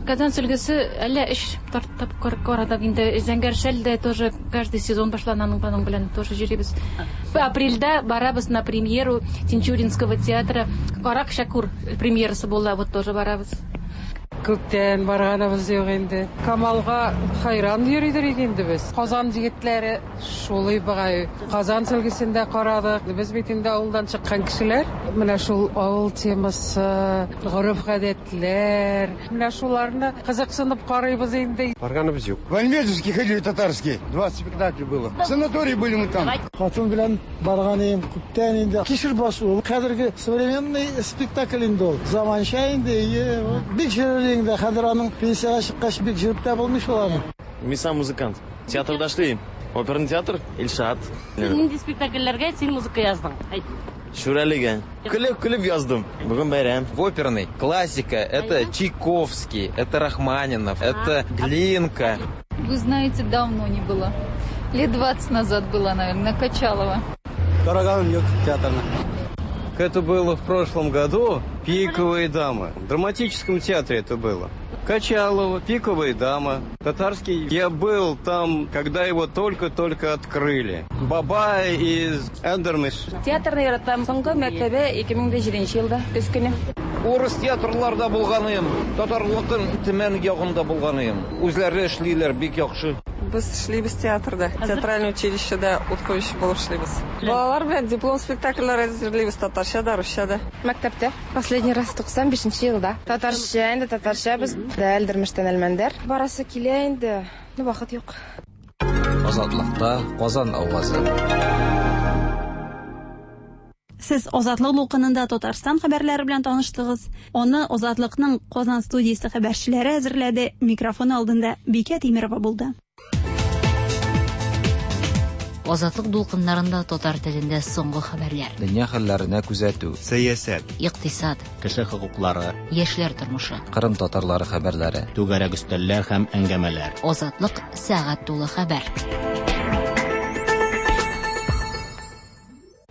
Казан сөлгесе әллә өч тапкыр карадык инде. Зәңгәр шәл дә тоже каждый сезон башлана аның аның белән тоже йөрибез. Апрельдә барабыз на премьеру Тинчуринского театра. Карак Шәкүр премьерасы була, вот тоже барабыз. Күптән барганыбыз юк инде. Камалга хайран йөридер идек инде без. Казан егетләре шулай бугай. Казан сөлгесен дә карадык. Без бит инде авылдан чыккан кешеләр. Менә шул авыл темасы, гореф-гадәтләр, менә шуларны кызыксынып карыйбыз инде. Барганыбыз юк. В Альметьевский ходили татарский. 20 спектаклей было. В санатории были мы там. Хатын белән барган идем күптән инде. Кишер басу ул хәзерге современный спектакль инде ул. Заманча инде, ие, бик җөрер инде. Хәзер аның пенсиягә чыккач бик җөреп тә булмый шул аны. Мин сам музыкант. Театрда эшлим. Оперный театр, Илшат. Син нинди спектакльләргә син музыка яздың? Әйт. Шүрәлегә. Көлеп-көлеп яздым. Бүген бәйрәм. В оперный классика это Чайковский, это Рахманинов, это Глинка. Вы знаете, давно не было. Лет 20 назад была, наверное, на Качалова. Караганым юк театрны. Это было в прошлом году. Пиковые дамы. В драматическом театре это было. Качалова, Пиковая дама. Татарский. Я был там, когда его только-только открыли. Бабай из Эндермиш. Театрны яратам. Соңгы мәртәбә 2007 елда көз көне. Урыс театрларда булганым, татарлыкын Төмән ягында булганым. Үзләре эшлиләр бик яхшы. Без эшлибез театрда, театральный училищеда ут куючы булып эшлибез. Балалар белән диплом спектакльләр әзерлибез татарча да, русча да. Мәктәптә. Последний раз 95 елда. Татарча инде, татарча без дә Әлдермештән Әлмәндәр. Барасы килә инде, но вакыт юк. Азатлыкта Казан авазы. Сез Азатлык дулкынында Татарстан хәбәрләре белән таныштыгыз. Аны Азатлыкның Казан студиясе хәбәрчеләре әзерләде. Микрофон алдында Бикә Тимерова булды. Азатлык дулкыннарында татар телендә соңгы хәбәрләр. Дөнья хәлләренә күзәтү. Сәясәт. Икътисад. Кеше хокуклары. Яшьләр тормышы. Кырым татарлары хәбәрләре. Түгәрәк өстәлләр һәм әңгәмәләр. Азатлык сәгать тулы хәбәр.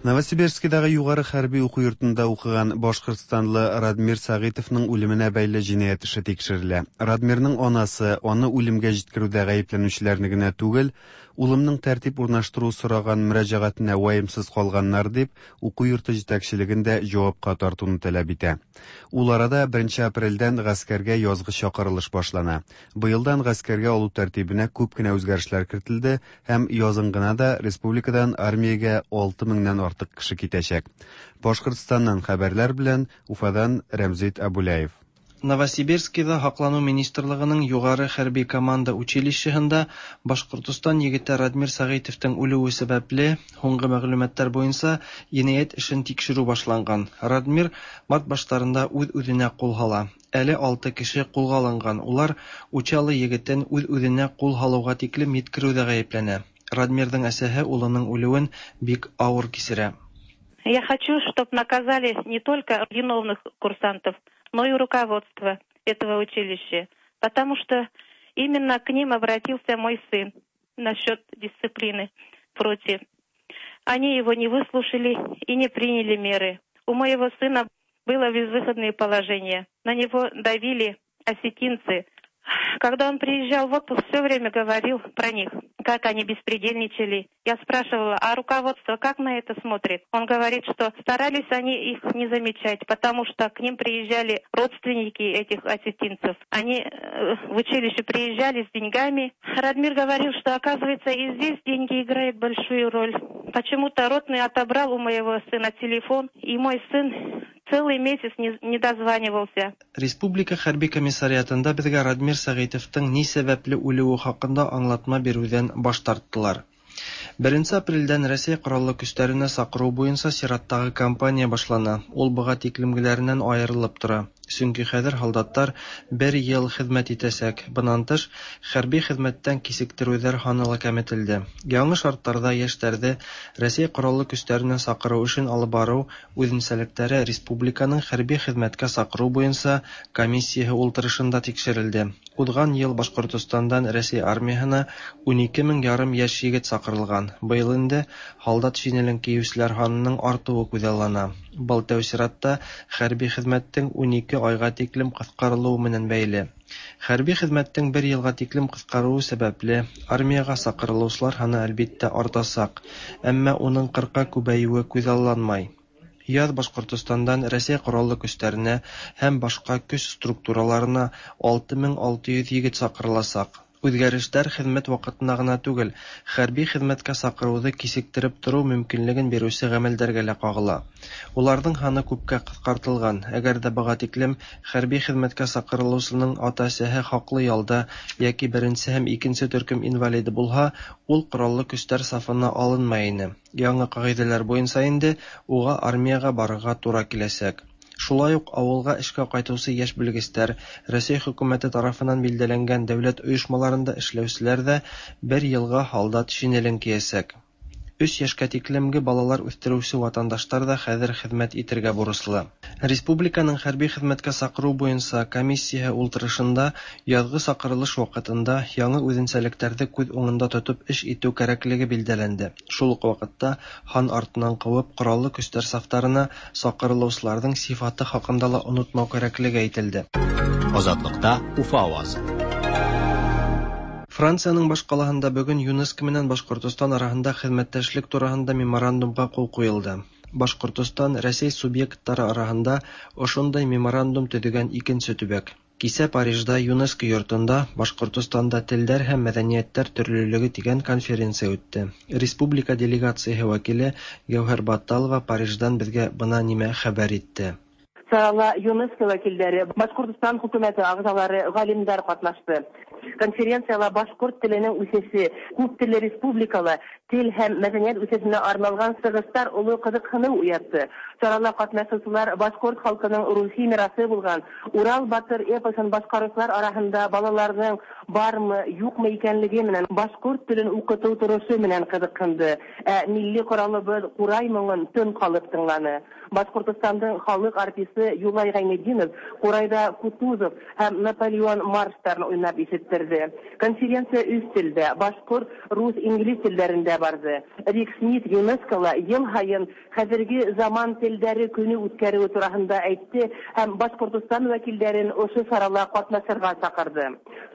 Новосибирскидагы югары хәрби уку йортында укыган башкортстанлы Радмир Сәгыйтовның үлеменә бәйле җинаять эше тикшерелә. Радмирның анасы аны үлемгә җиткерүдә гаепләнүчеләрне генә түгел, улымның тәртип урнаштыру сораган мөрәҗәгатенә ваемсыз калганнар дип, уку йорты җитәкчелеген дә җавапка тартуны таләп итә. Ул арада 1 апрельдән гаскәргә язгы чакырылыш башлана. Быелдан гаскәргә алу тәртибенә күп кенә үзгәрешләр кертелде һәм язын гына да республикадан армиягә 6 меңнән артык кеше китәчәк. Башкортстаннан хәбәрләр белән Уфадан Рәмзит Абуляев. Новосибирскида Һаклану министрлыгының югары хәрби команда училищеһында Башкортостан егете Радмир Сәгыйтовтың үлүе сәбәпле, һуңгы мәгълүматлар буенча, енәят эшен тикшерү башланган. Радмир март башларында үз-үзенә кул һала. Әле алты кеше кулга алынган, улар Учалы егетен үз-үзенә кул һалуга тиклем йиткерүдә гаепләнә. Радмирның әсәһе улының үлүен бик авыр кичерә. Я хочу, чтоб наказали не только виновных курсантов, но и руководство этого училища, потому что именно к ним обратился мой сын насчет дисциплины против. Они его не выслушали и не приняли меры. У моего сына было безвыходное положение. На него давили осетинцы. Когда он приезжал в отпуск, все время говорил про них, как они беспредельничали. Я спрашивала, а руководство как на это смотрит? Он говорит, что старались они их не замечать, потому что к ним приезжали родственники этих осетинцев. Они в училище приезжали с деньгами. Радмир говорил, что, оказывается, и здесь деньги играют большую роль. Почему-то ротный отобрал у моего сына телефон, и мой сын целый месяц не дозванивался. Республика хәрби комиссариатында безгә Радмир Сәгыйтовтың ни сәбәпле үлүе хакында аңлатма бирүдән баш тарттылар. Беренче апрельдән Рәсәй Кораллы Көчләренә сакыру буенча чираттагы кампания башлана. Ул быга тиклемгеләреннән аерылып тора. Чөнки хәзер һалдаттар бер ел хезмәт итәчәк. Быннан тыш, хәрби хезмәттән кичектерүләр һаны ла кәметелде. Яңы шартларда яшьләрде Рәсәй Кораллы Көчләренә сакыру эшен алып бару үзенчәлекләре республиканың хәрби хезмәткә сакыру буенча комиссияһе ултырышында тикшерелде. Узган ел Башкортостандан Рәсәй армияһына 12 мең ярым яшь егет сакырылган. Быел инде һалдат шинелен киючеләр һанының артуы күзаллана. Был тәү чиратта хәрби хезмәттең 12 айга тиклем кыскарылуы менән бәйле. Хәрби хезмәттең бер елга тиклем кыскаруы сәбәпле, армиягә сакырылучылар һаны әлбиттә артасак, әмма уның 40-ка күбәюе күзалланмай. Яз Башкортостандан Рәсәй Кораллы Көчләренә һәм башка көч структураларына 6600 егет сакырыласак. Үзгәрешләр хезмәт вакытына гына түгел, хәрби хезмәткә сакыруды кичектереп тору мөмкинлеген бирүче гамәлдәргә лә кагыла. Уларның һаны күпкә кыскартылган. Әгәр дә быга тиклем хәрби хезмәткә сакырылучының ата-әсәһе хаклы ялда яки беренче һәм икенче төркем инвалиды булһа, ул Кораллы Көчләр сафына алынмай ине. Яңы кагыйдәләр буенча инде уга армиягә барырга тура киләчәк. Шулай ук авылга эшкә кайтучы яшь белгечләр, Рәсәй хөкүмәте тарафыннан билдәләнгән дәүләт оешмаларында эшләүчеләр дә бер елга һалдат шинелен киясәк. Өч яшькә тиклемге балалар үстерүче ватандашлар да хәзер хезмәт итергә бурычлы. Республиканың хәрби хезмәткә сакыру буенча комиссияһе ултырышында язгы сакырылыш вакытында яңы үзенчәлекләрде күз уңында тотып эш итү кәрәклеге билдәләнде. Шул ук вакытта һан артыннан куып Кораллы Көчләр сафтарына сакырылучыларның сифаты хакында ла онытмау кәрәклеге әйтелде. Азатлыкта Уфа авазы. Франциянең башкалаһында бүген ЮНЕСКО менән Башкортостан араһында хезмәттәшлек тураһында меморандумга кул куелды. Башкортостан Рәсәй субъектлары араһында ошондай меморандум төзегән икенче төбәк. Кисә Парижда ЮНЕСКО йортында Башкортостанда телләр һәм мәдәниятләр төрлелеге дигән конференция үтте. Республика делегацияһе вәкиле Гәүһәр Батталова Париждан безгә бына нимә хәбәр итте. Сарала ЮНЕСКО вәкилләре, Башкортостан хөкүмәте әгъзалары, галимнәр катнашты. Конференцияла башкорт теленең үсеше, күп телле республикала тел һәм мәдәният үсешенә арналган сыгыштар олы кызыксыну уятты. Чарала катнашучылар башкорт халкының рухи мирасы булган Урал батыр эпосын башкаручылар арасында балаларның бармы, юкмы икәнлеге менән башкорт телен укыту торышы менән кызыксынды. Ә милли коралыбыз Курай моңын тын калып тыңланы. Башкортостандың халык артисты Юлай Гайнетдинов Курайда Кутузов һәм Наполеон марштарын уйнап ишеттерде. Конференция өч телдә, башкорт, рус, инглиз телләрендә барды. Рик Смит ЮНЕСКОла ел һайын хәзерге заман телдәре көне үткәрүе турасында әйтте һәм Башкортостан вәкилләрен ошо чарала катнашырга чакырды.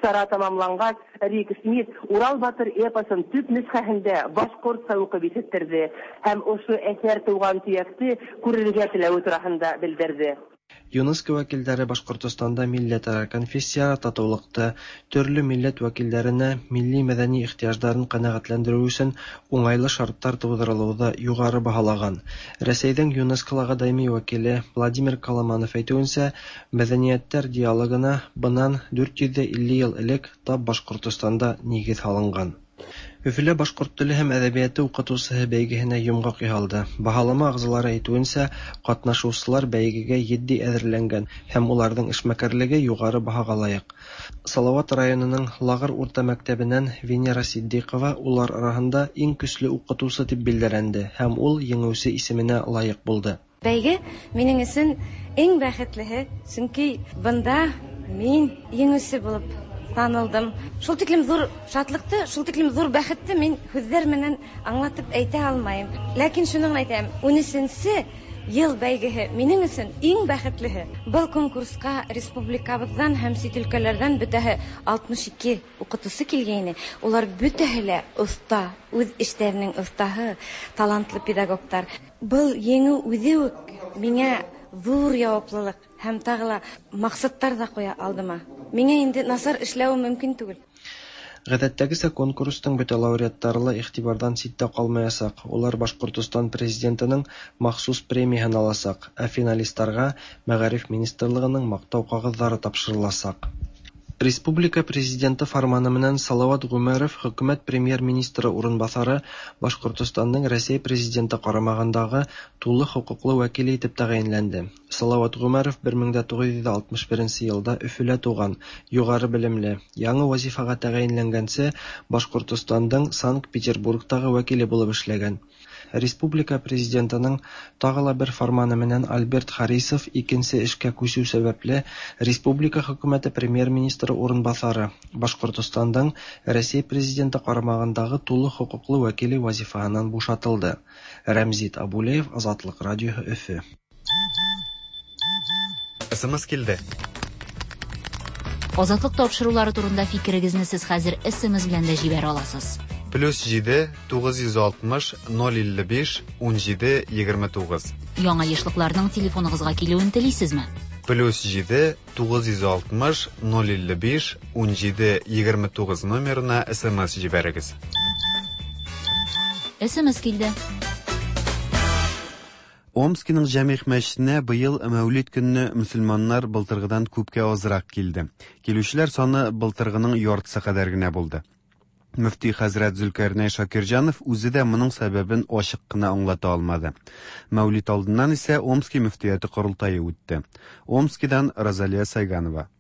Чара тамамлангач, Рик Смит Урал батыр эпосын төп нөсхәһендә башкортча укып ишеттерде һәм ошо әсәр туган төякте күрергә теләве турасында белдерде. ЮНЕСКО вәкилләре Башкортостанда милләтара, конфессияара татулыкты, төрле милләт вәкилләренә милли-мәдәни ихтыяҗларын канәгатьләндерү өчен уңайлы шартлар тудырылуды югары баһалаган. Рәсәйнең ЮНЕСКОлагы даими вәкиле Владимир Коломанов әйтүенчә, мәдәниятләр диалогына быннан 450 ел элек тап Башкортостанда нигез һалынган. Өфөлә башкорт теле һәм әдәбияты укытучыһы бәйгеһенә йомгак яһалды. Баһалама әгъзалары әйтүенчә, катнашучылар бәйгегә етди әзерләнгән һәм уларның эшмәкәрлеге югары баһага лаек. Салават районының Лагыр урта мәктәбеннән Венера Ситдыйкова улар араһында иң көчле укытучы дип билгеләнде һәм ул җиңүче исеменә лаек булды. Бәйге минем өчен иң бәхетлеһе, чөнки бында мин җиңүче булып танылдым. Шул тиклем зур шатлыкты, шул тиклем зур бәхетте мин һүзләр менән аңлатып әйтә алмыйм. Ләкин шуны гына әйтәм, унөченче ел бәйгеһе минем өчен иң бәхетлеһе. Был конкурска республикабыздан һәм чит өлкәләрдән бөтәһе 62 укытучы килгәйне. Улар бөтәһе лә оста, үз эшләренең остаһы, талантлы педагогтар. Был еңү үзе үк миңа зур яваплылык һәм тагы ла максатлар да куя алдыма. Миңа инде насар эшләвем мөмкин түгел. Гадәттәгечә, конкурсның бөтә лауреатлары ла игътибардан читтә калмаячак, улар Башкортостан Президентының махсус премияһен алачак, ә финалистларга Мәгариф министрлыгының Мактау кәгазьләре тапшырылачак. Республика Президенты фарманы менән Салават Гомәров хөкүмәт премьер-министры урынбасары, Башкортостанның Рәсәй Президенты карамагындагы тулы хокуклы вәкиле итеп тәгаенләнде. Салават Гомәров 1961 елда Өфөлә туган, югары белемле. Яңа вазифага тәгаенләнгәнче Башкортостандың Санкт-Петербургтагы вәкиле булып эшләгән. Республика Президентының тагы ла бер фарманы менән Альберт Харисов икенче эшкә күчү сәбәпле республика хөкүмәте премьер-министры урынбасары, Башкортостандың Рәсәй Президенты карамагындагы тулы хокуклы вәкиле вазифаһыннан бушатылды. Рәмзит Абулеев, Азатлык радиоһы, Өфе. СМС килде. Азатлык тапшырулары турында фикерегезне сез хәзер СМС белән дә җибәрә аласыз. Плюс 7 960 055 17 29. Яңа ешлыкларның телефоныгызга килүен телисезме? Плюс 7 960 055 17 29 номерына СМС җибәрегез. СМС килде. Омскиның Җәмигъ мәчетенә быел Мәүлид көнне мөселманнар былтыргыдан күпкә азрак килде. Килүчеләр саны былтыргының яртысы кадәр генә булды. Мөфти хәзрәт Зөлкәрнәй Шакирҗанов үзе дә моның сәбәбен ачык кына аңлата алмады. Мәүлид алдыннан исә Омски мөфтияте корылтае үтте. Омскидан Розалия Сайганова.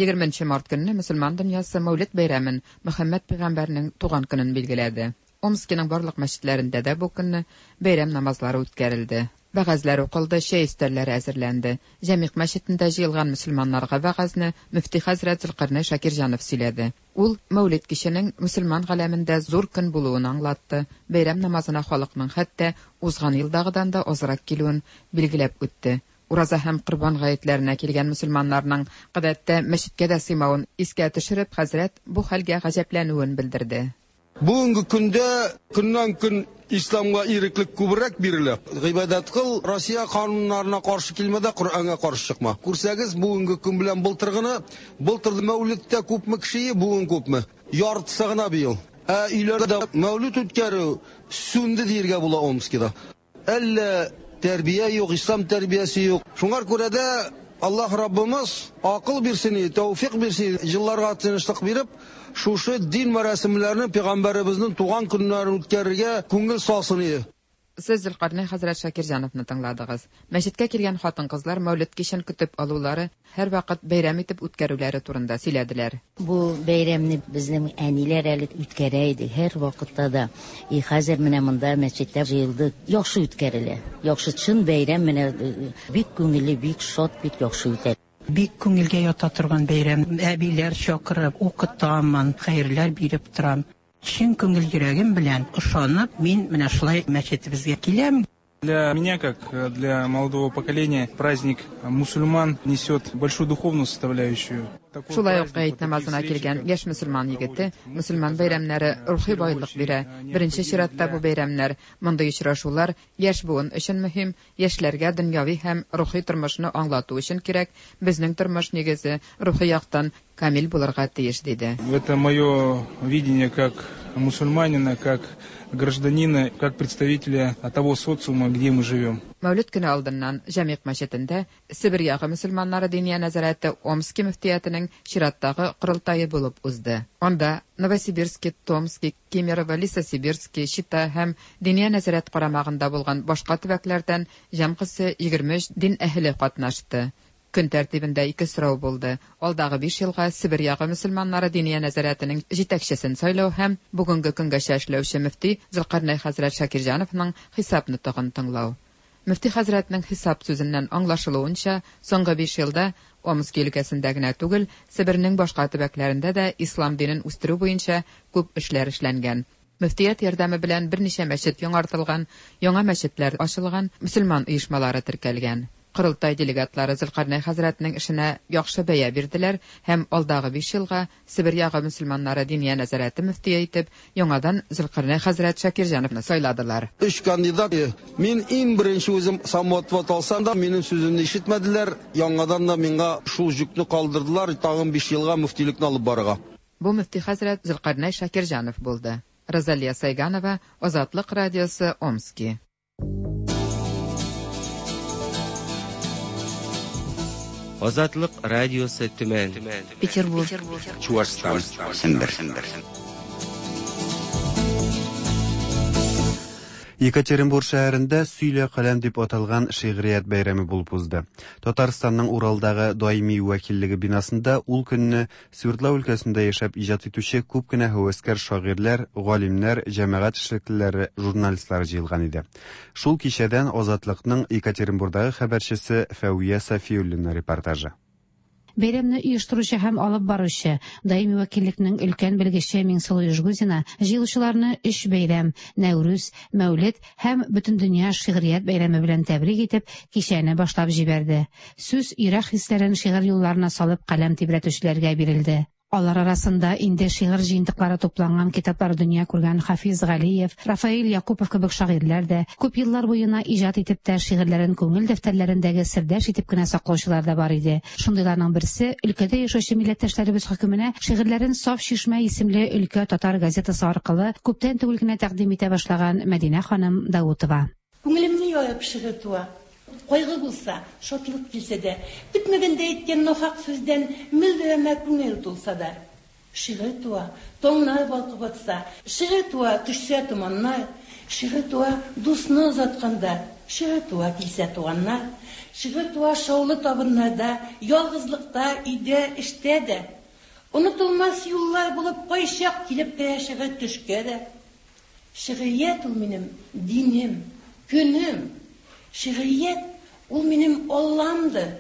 20 март көнне мөселман дөньясы Мәүлид бәйрәмен, Мөхәммәд пәйгамбәрнең туган көнен билгеләде. Омскиның барлык мәчетләрендә дә бу көнне бәйрәм намазлары үткәрелде. Вәгазьләр укылды, чәй өстәлләре әзерләнде. Җәмигъ мәчетендә җыелган мөселманнарга вәгазьне мөфти хәзрәт Зөлкарнәй Шакирҗанов сөйләде. Ул Мәүлид киченең мөселман галәмендә зур көн булуын аңлатты, бәйрәм намазына халыкның хәтта узган елдагыдан да азрак килүен билгеләп үтте. Ураза һәм Корбан гаетләренә килгән мөселманнарның гадәттә мәчеткә дә сыймавын искә төшереп, хәзрәт бу хәлгә гаҗәпләнүен белдерде. Бүгенге көндә көннән-көн исламга иреклек күбрәк бирелә. Гыйбадәт кыл, Россия кануннарына каршы килмә дә, Коръәнгә каршы чыкма. Күрсәгез, бүгенге көн белән былтыргыны, былтыр Мәүлидтә күпме кеше, бүген күпме? Яртысы гына быел. Ә өйләрдә Мәүлид үткәрү сүнде диергә була Омскида. Әллә тәрбия юк, ислам тәрбиясе юк. Шуңар күрә дә Аллаһ Раббымыз акыл бирсен, тәүфик бирсен, елларга тынычлык биреп, шушы дин мәрасимләрен пәйгамбәребезнең туган көннәрен үткәрергә күңел салсын иде. Сез Зөлкарнәй хәзрәт Шакирҗановны тыңладыгыз. Мәчеткә килгән хатын-кызлар Мәүлид кичен көтеп алулары, һәрвакыт бәйрәм итеп үткәрүләре турында сөйләделәр. Бу бәйрәмне безнең әниләр әле үткәрә иде һәрвакытта да. И хәзер менә монда мәчеттә җыелды. Яхшы үткәрелә. Яхшы чын бәйрәм менә бик күңелле, бик шат, бик яхшы үтә. Бик күңелгә ята торган бәйрәм. Әбиләр чакырып, укытамын, хәерләр биреп торам. Чын күңел йөрәгем белән ышанып, мин менә шулай мәчетебезгә киләм. Для меня, как для молодого поколения, праздник мусульман несет большую духовную составляющую. Шулай ук гает намазына килгән яшь мөселман егете мөселман бәйрәмнәре рухи байлык бирә. Беренче чиратта бу бәйрәмнәр, мондый очрашулар яшь буын өчен мөһим, яшьләргә дөньяви һәм рухи тормышны аңлату өчен кирәк. Безнең тормыш нигезе рухи яктан камил булырга тиеш, диде. Это мое видение как мусульманина, как гражданина, как представителя того социума, где мы живем. Мәүлид көне алдыннан Җәмигъ мәчетендә Себер ягы мөселманнары Диния нәзарәте Омски мөфтиятенең чираттагы корылтае булып узды. Анда Новосибирски, Томски, Кемерово, Лесосибирски, Чита һәм Диния нәзарәт карамагында булган башка төбәкләрдән җәмгысе 23 дин әһеле катнашты. Көн тәртибендә ике сорау булды, алдагы биш елга Себер ягы мөселманнары Диния нәзарәтенең җитәкчесен сайлау һәм бүгенге көнгәчә эшләүче мөфти Зөлкарнәй хәзрәт Шакирҗановның хисап нотыгын тыңлау. Мөфти хәзрәтнең хисап сүзеннән аңлашылуынча, соңгы биш елда Омски өлкәсендә генә түгел, Себернең башка төбәкләрендә дә ислам динен үстерү буенча күп эшләр эшләнгән. Мөфтият ярдәме белән берничә мәчет яңартылган, яңа мәчетләр ачылган, мөселман оешмалары теркәлгән. Корылтай делегатлары Зөлкарнәй хәзрәтнең эшенә яхшы бәя бирделәр һәм алдагы биш елга Себер ягы мөселманнары Диния нәзарәте мөфтие итеп яңадан Зөлкарнәй хәзрәт Шакирҗановны сайладылар. Өч кандидат. Мин иң беренче үзем самоотвод алсам да, минем сүземне ишетмәделәр. Яңадан да миңа шул җөкне калдырдылар, тагын биш елга мөфтилекне алып барырга. Бу мөфти хәзрәт Зөлкарнәй Шакирҗанов булды. Розалия Сайганова, Азатлык радиосы, Омски. Азатлык радиосы Төмән. Петербург. Чуашстан. Сембер. Екатеринбург шәһәрендә Сөйлә каләм дип аталган шигърият бәйрәме булып узды. Татарстанның Уралдагы даими вәкиллеге бинасында ул көнне Свердлау өлкәсендә яшәп иҗат итүче күп кенә һәвәскәр шагыйрьләр, галимнәр, җәмәгать эшлеклеләре, журналистлар җыелган иде. Шул кичәдән Азатлыкның Екатеринбурдагы хәбәрчесе Фәвия Сафиуллина репортажы. Бәйрәмне оештыручы һәм алып баручы, даими вәкиллекнең өлкән белгече Миңсылу Ижгузина җыелучыларны өч бәйрәм, Нәүрүз, Мәүлид һәм Бөтендөнья шигърият бәйрәме белән тәбрик итеп, кичәне башлап җибәрде. Сүз йөрәк хисләрен шигырь юлларына салып каләм тибрәтүчеләргә бирелде. Алар арасында инде шигырь җыентыклары тупланган китаплар дөнья күргән Хафиз Галиев, Рафаэль Якупов кебек шагыйрьләр дә, күп еллар буена иҗат итеп тә шигырьләрен күңел дәфтәрләрендәге сердәш итеп кенә саклаучылар да бар иде. Шундыйларның берсе, өлкәдә яшәүче милләттәшләребез хөкеменә шигырьләрен Саф чишмә исемле өлкә татар газетасы аркылы күптән түгел генә тәкъдим итә башлаган Мәдинә ханым Даутова. Күңелемне ярып шигырь туа. Кайгы булса, шатлык килсә дә, көтмәгәндә әйткән нахак сүздән мөлдерәмә күңел тулса да. Шигырь туа, таңнар балкып атса, шигырь туа, төшсә томаннар, шигырь туа, дусны озатканда, шигырь туа, килсә туганнар, шигырь туа шаулы табыннарда, ялгызлыкта, өйдә, эштә дә. Онытылмас юллар булып кайчак килеп керә шигырь төшкә дә. Шигърият ул минем динем, көнем. Шигърият ул минем Алламдыр.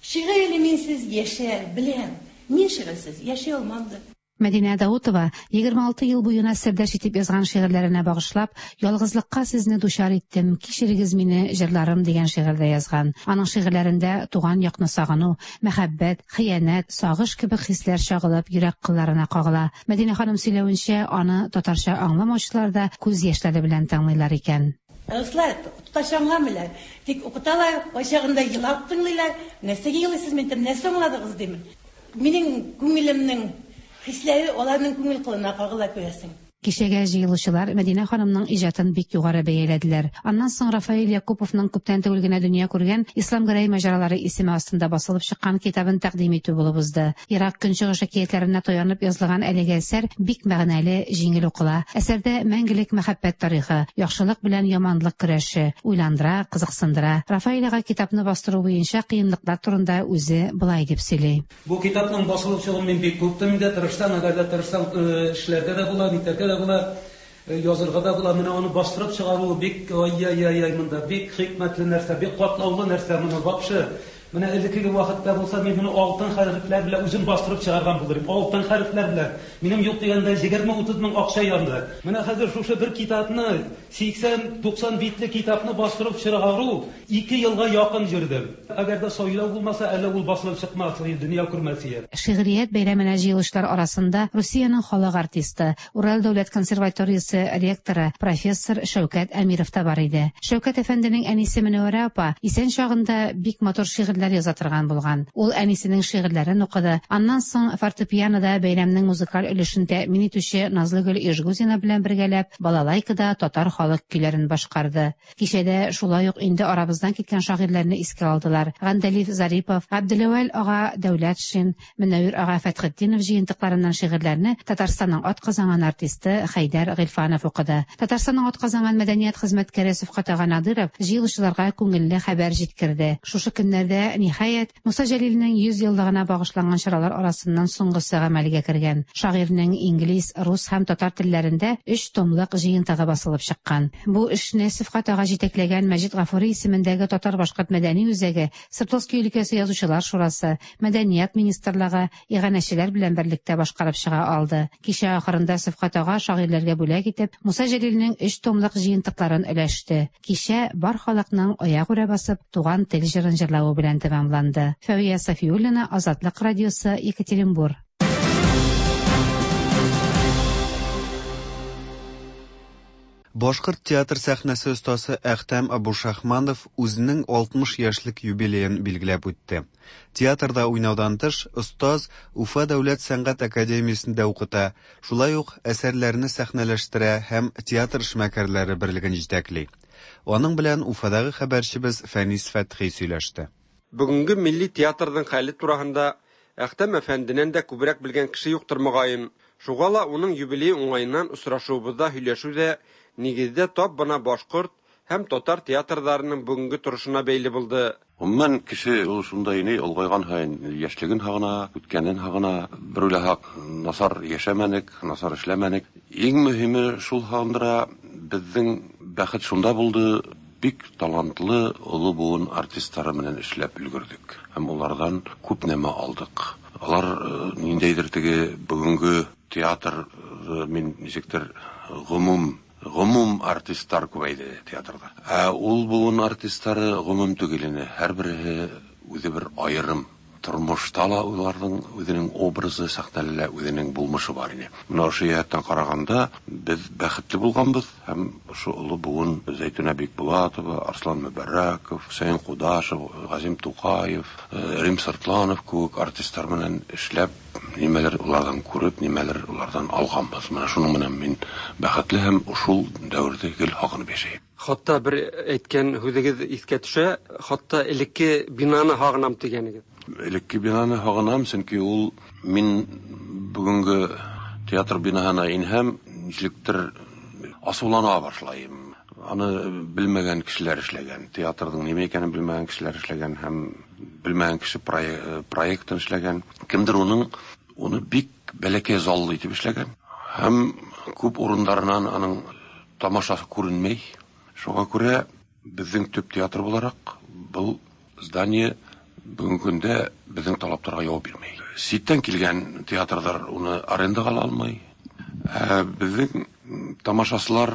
Шигырь әле минсез яшәр, беләм. Мин шигырьсез яши алмамдыр. Мәдинә Даутова 26 ел буена сердәш итеп язган шигырьләренә багышлап, Ялгызлыкка сезне дучар иттем, кичерегез мине, җырларым дигән шигырь дә язган. Аның шигырьләрендә туган якны сагыну, мәхәббәт, хыянәт, сагыш кебек хисләр чагылып, йөрәк кылларына кагыла. Мәдинә ханым сөйләвенчә, аны татарча аңламаучылар да күз яшьләре белән тыңлыйлар икән. Руслар татарча аңламыйлар. Тик укыталар, кайчагында елап тыңлыйлар. Нәрсәгә елыйсыз, мин әйтәм, нәрсә аңладыгыз димен. Минем күңелемнең хисләре аларның күңел кылына кагыла, күрәсең. Кичәгә җыелучылар Мәдинә ханымның иҗатын бик югары бәяләделәр. Аннан соң Рафаэль Якуповның күптән түгел генә дөнья күргән Ислам Гәрәй маҗаралары исеме астында басылып чыккан китабын тәкъдим итү булып узды. Ерак Көнчыгыш әкиятләренә таянып язылган әлеге әсәр бик мәгънәле, җиңел укыла. Әсәрдә мәңгелек мәхәббәт тарихы, яхшылык белән яманлык көрәше уйландыра, кызыксындыра. Рафаэль ага китапны бастыру буенча кыенлыклар турында үзе болай дип сөйли. Бу китапның басылып чыгуын мин бик көттем инде, тырышсаң, әгәр дә тырышсаң, эшләргә дә була, нитәргә дә була, язырга да була. Менә аны бастырып чыгаруы бик, ай-яй-яй-яй, монда бик хикмәтле нәрсә, бик катлаулы нәрсә моны вообще. Менә элеккеге вакытта булса, мин моны алтын хәрефләр белән үзем бастырып чыгарган булыр идем. Алтын хәрефләр белән. Минем юк дигәндә 20-30 мең акча янды. Менә хәзер шушы бер китапны, 80-90 битле китапны бастырып чыгару 2 елга якын йөрдем. Әгәр дә сайлау булмаса, әле ул басылып чыкмас иде, дөнья күрмәс иде. Шигърият бәйрәменә җыелучылар арасында Русиянең халык артисты, Урал дәүләт консерваториясе ректоры, профессор Шәүкәт Әмиров та бар иде. Шәүкәт әфәнденең әнисе Мөнәвәрә апа исән чагында бик матур шигырьләр яза торган булган. Ул әнисенең шигырьләрен укыды. Аннан соң фортепианода бәйрәмнең музыкаль өлешен тәэмин итүче Назлыгөл Ижгузина белән бергәләп балалайкада татар халык көйләрен башкарды. Кичәдә шулай ук инде арабыздан киткән шагыйрьләрне искә алдылар. Гандәлиф Зарипов, Габделәүәл ага Дәүләтшин, Мөнәвир ага Фәтхетдинов җыентыкларыннан шигырьләрне Татарстанның атказанган артисты Хәйдәр Гыйльфанов укыды. Татарстанның атказанган мәдәният хезмәткәре Сөфкать ага Надыров җыелучыларга күңелле хәбәр җиткерде. Шушы көннәрдә, ниһаять, Муса Җәлилнең 100 еллыгына багышланган чаралар арасыннан соңгысы гамәлгә кергән. Шагыйрьнең инглиз, рус һәм татар телләрендә өч томлык җыентыгы басылып чыккан. Бу эшне Сөфкать ага җитәкләгән Мәҗит Гафури исемендәге татар-башкорт мәдәни үзәге, Свердловски өлкәсе язучылар шурасы, Мәдәният министрлыгы, иганәчеләр белән берлектә башкарып чыга алды. Кичә ахырында Сөфкать ага шагыйрьләргә бүләк итеп, Муса Җәлилнең өч томлык җыентыкларын өләште. Кичә бар халыкның аягүрә басып Туган тел җырын җырлавы белән тәмамланды. Фәвия Сафиуллина, Азатлык радиосы, Екатеринбур. Башкорт театр сәхнәсе остасы Әхтәм Абушахманов үзенең 60 яшьлек юбилеен билгеләп үтте. Театрда уйнаудан тыш, остаз Уфа дәүләт сәнгать академиясендә укыта, шулай ук әсәрләрне сәхнәләштерә һәм театр эшмәкәрләре берлеген җитәкли. Аның белән Уфадагы хәбәрчебез Фәнис Фәтхи сөйләште. Бүгенге милли театрның хәле тураһында Әхтәм әфәнденән дә күбрәк белгән кеше юктыр, мөгаен. Шуга ла уның юбилее уңаеннан очрашуыбызда һөйләшү дә, нигездә, тап бына башкорт һәм татар театрларының бүгенге торышына бәйле булды. Гомумән, кеше ул шундай ни, олгайган һаен яшьлеген һагына, үткәнен һагына. Бер уйласак, насар яшәмәнек, насар эшләмәнек. Иң мөһиме шул һагындыра, безнең бәхет шунда булды, бик талантлы олы буын артистлары белән эшләп өлгердек һәм улардан күп нәмә алдык. Алар ниндәйдер теге бүгенге театр, мин ничектер гомум гомум артистлар күбәйде театрда. Ә ул буын артистлары гомум түгел ине, һәрберсе үзе бер аерым. Тормышта ла уларның үзенең образы, сәхнәдә лә үзенең булмышы бар ине. Менә ошо җәһәттән караганда, без бәхетле булганбыз һәм ошо олы буын Зәйтүнә Бикбулатова, Арслан Мөбәрәков, Хөсәен Кудашев, Газим Тукаев, Рим Сыртланов кебек артистлар белән эшләп, нимәлер улардан күреп, нимәлер улардан алганбыз. Менә шуның белән мин бәхетле һәм шул дәвердә гел һагынып яшәйм. Хатта бер әйткән һүзегез искә төшә, хатта элекке бинаны һагынам дигәнегез. Элекке бинаны һагынам, чөнки ул мин бүгенге театр бинаһына инһәм, ничектер асулана башлайым. Аны белмәгән кешеләр эшләгән, театрның нимә икәнен белмәгән кешеләр эшләгән һәм белмәгән кеше проектын эшләгән. Кемдер уның уны бик бәләкәй заллы итеп эшләгән һәм күп урыннарыннан аның тамашасы күренмәй. Шуңа күрә безнең төп театр буларак был здание бүгенге көндә безнең талапларга җавап бирмәй. Читтән килгән театрлар уны арендага ала алмый. Ә безнең тамашасылар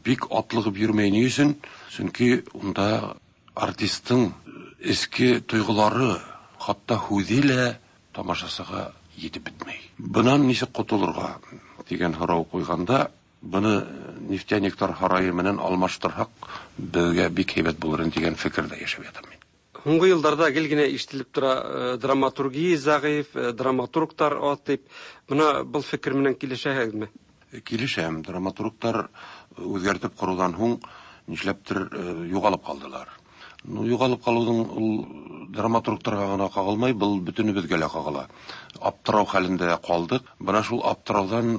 бик атлыгып йөрмәй ни өчен? Чөнки унда артистның эчке тойгылары, хатта һүзе лә тамашасыга җитеп бетмәй. Бынан ничек котылырга дигән һорау куйганда, Быны нефтяниклар һарае менән алмаштырһак, безгә бик һәйбәт булыр иде дигән фикердә яшәп ятам мин. Һуңгы елларда гел генә ишетелеп тора, драматургия зәгыйфь, драматургтар аз дип. Менә был фикер менән килешәһегезме? Килешәм. Драматургтар үзгәртеп корудан һуң нишләптер югалып калдылар. Ну, югалып калуның ул драматургтарга гына кагылмай, был бөтенебезгә лә кагыла. Аптырау хәлендә калдык. Менә шул аптыраудан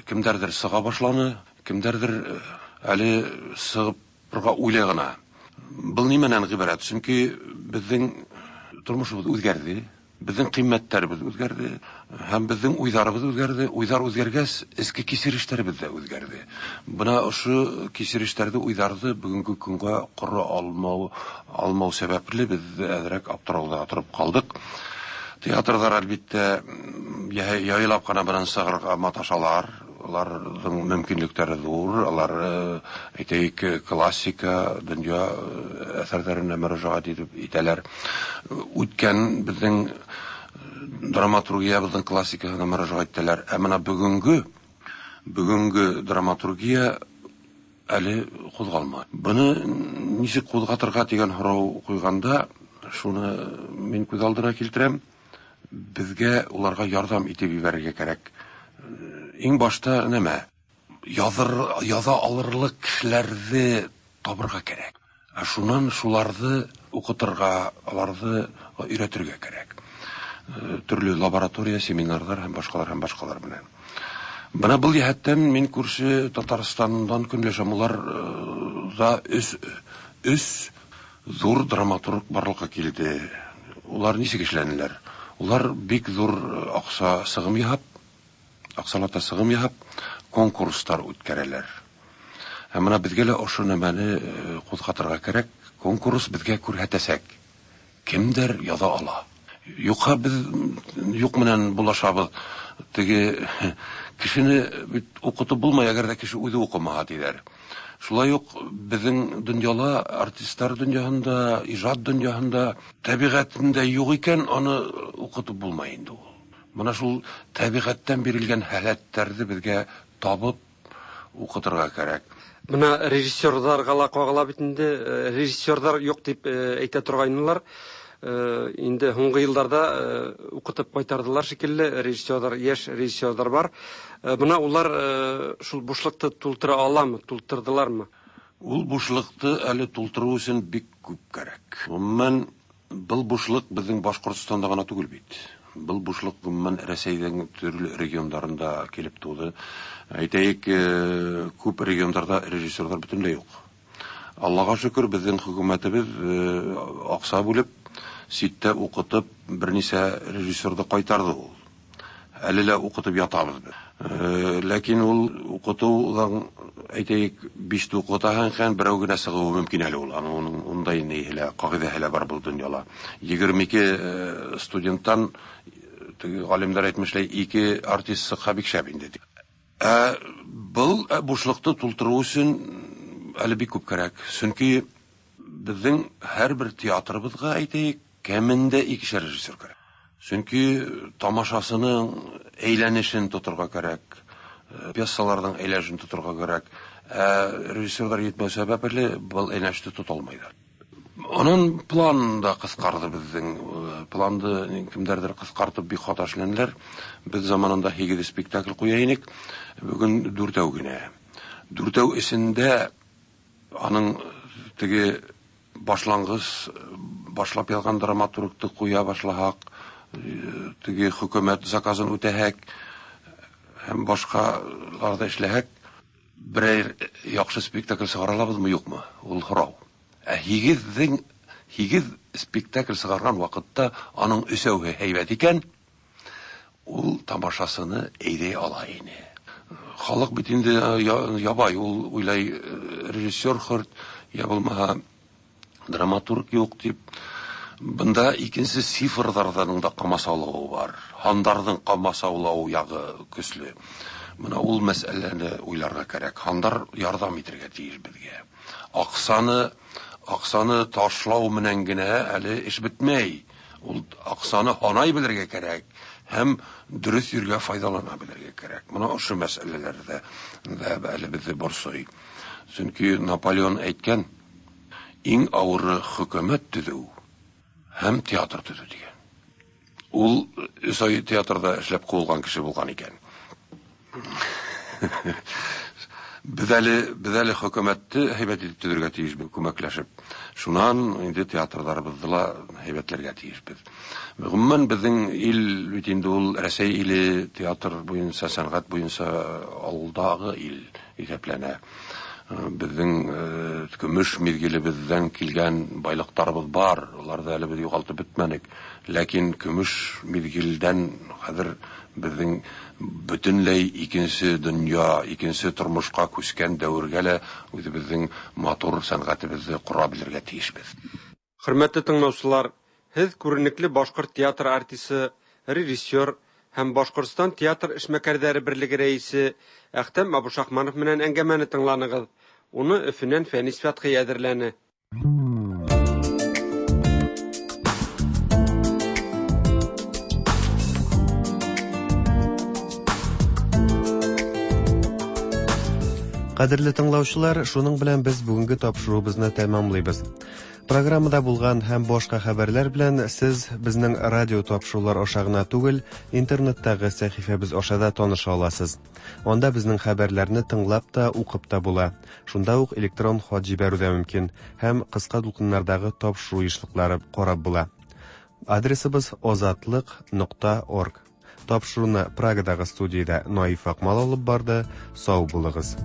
кемдәрдер сыга башланы, кемдәрдер әле сыгып уйлый гына. Был нимәнән гыйбарәт? Чөнки безнең тормышыбыз үзгәрде. Безнең кыйммәтләребез үзгәрде һәм безнең уйларыбыз үзгәрде. Уйлар үзгәргәч, эчке кичерешләребез дә үзгәрде. Бына ошо кичерешләрде, уйларҙы бөгөнгө көнгә ҡора алмау сәбәпле беҙ әҙерәк аптырауда торып ҡалдыҡ. Театрҙар, әлбиттә, яйлап ҡына бынан сығырға маташалар. Уларҙың мөмкинлектәре ҙур, алар, әйтәйек, классика, донъя әҫәрҙәренә мөрәжәғәт итеп итәләр. Үткән беҙҙең драматургиябыҙҙың классикаһына мөрәжәғәт итәләр. Ә бына бөгөнгө драматургия әле ҡуҙғалмай. Быны нисек ҡуҙғатырға тигән һорау ҡуйғанда, шуны мин күҙ алдына килтерәм. Беҙгә уларға ярҙам итеп ебәрергә кәрәк. Иң башта нәмә? Яҙа алырлыҡ кешеләрҙе табырға кәрәк. Ә шунан шуларҙы уҡытырға, аларҙы өйрәтергә кәрәк. Төрлө лаборатория, семинарҙар һәм башҡалар һәм башҡалар менән. Бына был йәһәттән мин күрше Татарстандан көнләшәм. Улар да өс ҙур драматург барлыҡҡа килде. Улар нисек эшләнеләр? Улар бик ҙур аҡса сығым яһап, аҡсалата сығым яһап, конкурстар үткәрәләр. Һәм бына беҙгә лә ошо нәмәне ҡуҙғатырға кәрәк. Конкурс беҙгә күрһәтәсәк, кемдәр яҙа ала. Юҡһа беҙ юҡ менән булашабыҙ. Теге кешене бит уҡытып булмай, әгәр ҙә кеше үҙе уҡымаһа, тиҙәр. Шулай уҡ беҙҙең донъяла, артистар донъяһында, ижад донъяһында тәбиғәтендә юҡ икән, аны уҡытып булмай инде ул. Бына шул тәбиғәттән бирелгән һәләттәрҙе беҙгә табып уҡытырға кәрәк. Бына режиссерҙарға ла ҡағыла бит инде, режиссерҙар юҡ тип әйтә торғайнылар. Инде һуңғы йылдарҙа уҡытып ҡайтарҙылар шикелле, режиссерҙар, йәш режиссерҙар бар. Бына улар шул бушлыҡты тултыра аламы, тултырҙылармы? Ул бушлыҡты әле тултырыу өсөн бик күп кәрәк. Ғөмүмән, был бушлыҡ беҙҙең Башҡортостанда ғына түгел бит. Был бушлыҡ ғөмүмән Рәсәйҙең төрлө региондарында килеп тыуҙы. Әйтәйек, күп региондарҙа режиссерҙар бөтөнләй юҡ. Аллаға шөкөр, беҙҙең хөкүмәтебеҙ аҡса бүлеп, ситтә уҡытып, бер нисә режиссерҙы ҡайтарҙы ул. Әле лә уҡытып ятабыҙ беҙ. Ләкин ул уҡытыуҙан, әйтәйек, биште уҡытаһың икән, берәү генә сығыуы мөмкин әле ул. Аның ундай ниһе лә, ҡағиҙәһе лә бар был донъяла. 22 студенттан, теге ғалимдар әйтмешләй, 2 артист сыҡһа бик шәп инде. Ә был бушлыҡты тултырыу өсөн әле бик күп кәрәк. Сөнки беҙҙең һәр бер театрыбыҙға, әйтәйек, кәмендә икешәр режиссер кәрәк. Сөнки тамашасының әйләнешен тоторға кәрәк, пьесаларҙың әйләнешен тоторға кәрәк. Ә режиссерҙар етмәү сәбәпле был әйләнеште тота алмайҙар. Унан план да ҡыҫҡарҙы беҙҙең. Планды кемдәрҙер ҡыҫҡартып бик хата эшләнеләр. Беҙ заманында 8 спектакль ҡуя инек, бөгөн 4 генә. 4 эсендә аның теге башланғыс, башлап яҙған драматургты ҡуя башлаһаҡ, теге хөкүмәт заказын үтәһәк һәм башҡаларҙа эшләһәк, берәр яҡшы спектакль сығара алабыҙмы, юҡмы? Ул һорау. Ә 8 спектакль сығарған ваҡытта аның өсәүһе һәйбәт икән, ул тамашасыны әйҙәй ала ине. Халыҡ бит инде ябай, ул уйлай режиссер хөрт, я булмаһа драматург юҡ тип. Бында икенсе цифрҙарҙың да ҡамасаулауы бар. Һандарҙың ҡамасаулауы яғы көслө. Бына ул мәсьәләне уйларға кәрәк. Һандар ярҙам итергә тейеш беҙгә. Аҡсаны ташлау менән генә әле эш бөтмәй. Ул аҡсаны һанай белергә кәрәк һәм дөрөҫ ергә файҙалана белергә кәрәк. Бына ошо мәсьәләләрҙә әле беҙҙе борсой. Сөнки Наполеон әйткән, иң ауыры хөкүмәт төҙөү һәм театр төҙөү тигән. Ул 3 ай театрҙа эшләп ҡыуылған кеше булған икән. Беҙ әле хөкүмәтте һәйбәт итеп төҙөргә тейешбеҙ, күмәкләшеп. Шунан инде театрҙарыбыҙҙы ла һәйбәтләргә тейешбеҙ. Ғөмүмән, беҙҙең ил бит инде ул Рәсәй иле театр буйынса, сәнғәт буйынса алдағы ил иҫәпләнә. Безнең көмеш мизгелебездән килгән байлыктарыбыз бар, аларны әле без югалтып бетмәдек. Ләкин көмеш мизгелдән хәзер безнең бөтенләй икенче дөнья, икенче тормышка күчкән дәвергә лә үзебезнең матур сәнгатебезне кора белергә тиешбез. Хөрмәтле тыңлаучылар, һеҙ күренекле башҡорт театр артисы, режиссер һәм Башҡортостан театр эшмәкәрҙәре берлеге рәйесе Әхтәм Абушахманов менән әңгәмәне тыңланығыҙ. Уны Өфөнән Фәнис Фәтхи әҙерләне. Кадерле тыңлаучылар, шуның белән без бүгенге тапшыруыбызны тәмамлыйбыз. Программада булган һәм башка хәбәрләр белән сез безнең радио тапшырулар аша гына түгел, интернеттагы сәхифәбез аша да таныша аласыз. Анда безнең хәбәрләрне тыңлап та, укып та була. Шунда ук электрон хат җибәрү дә мөмкин һәм кыска дулкыннардагы тапшыру ешлыклары карап була. Адресыбыз озатлык.орг. Тапшыруны Прагадагы студиядә Наиф Акмал алып барды. Сау булыгыз.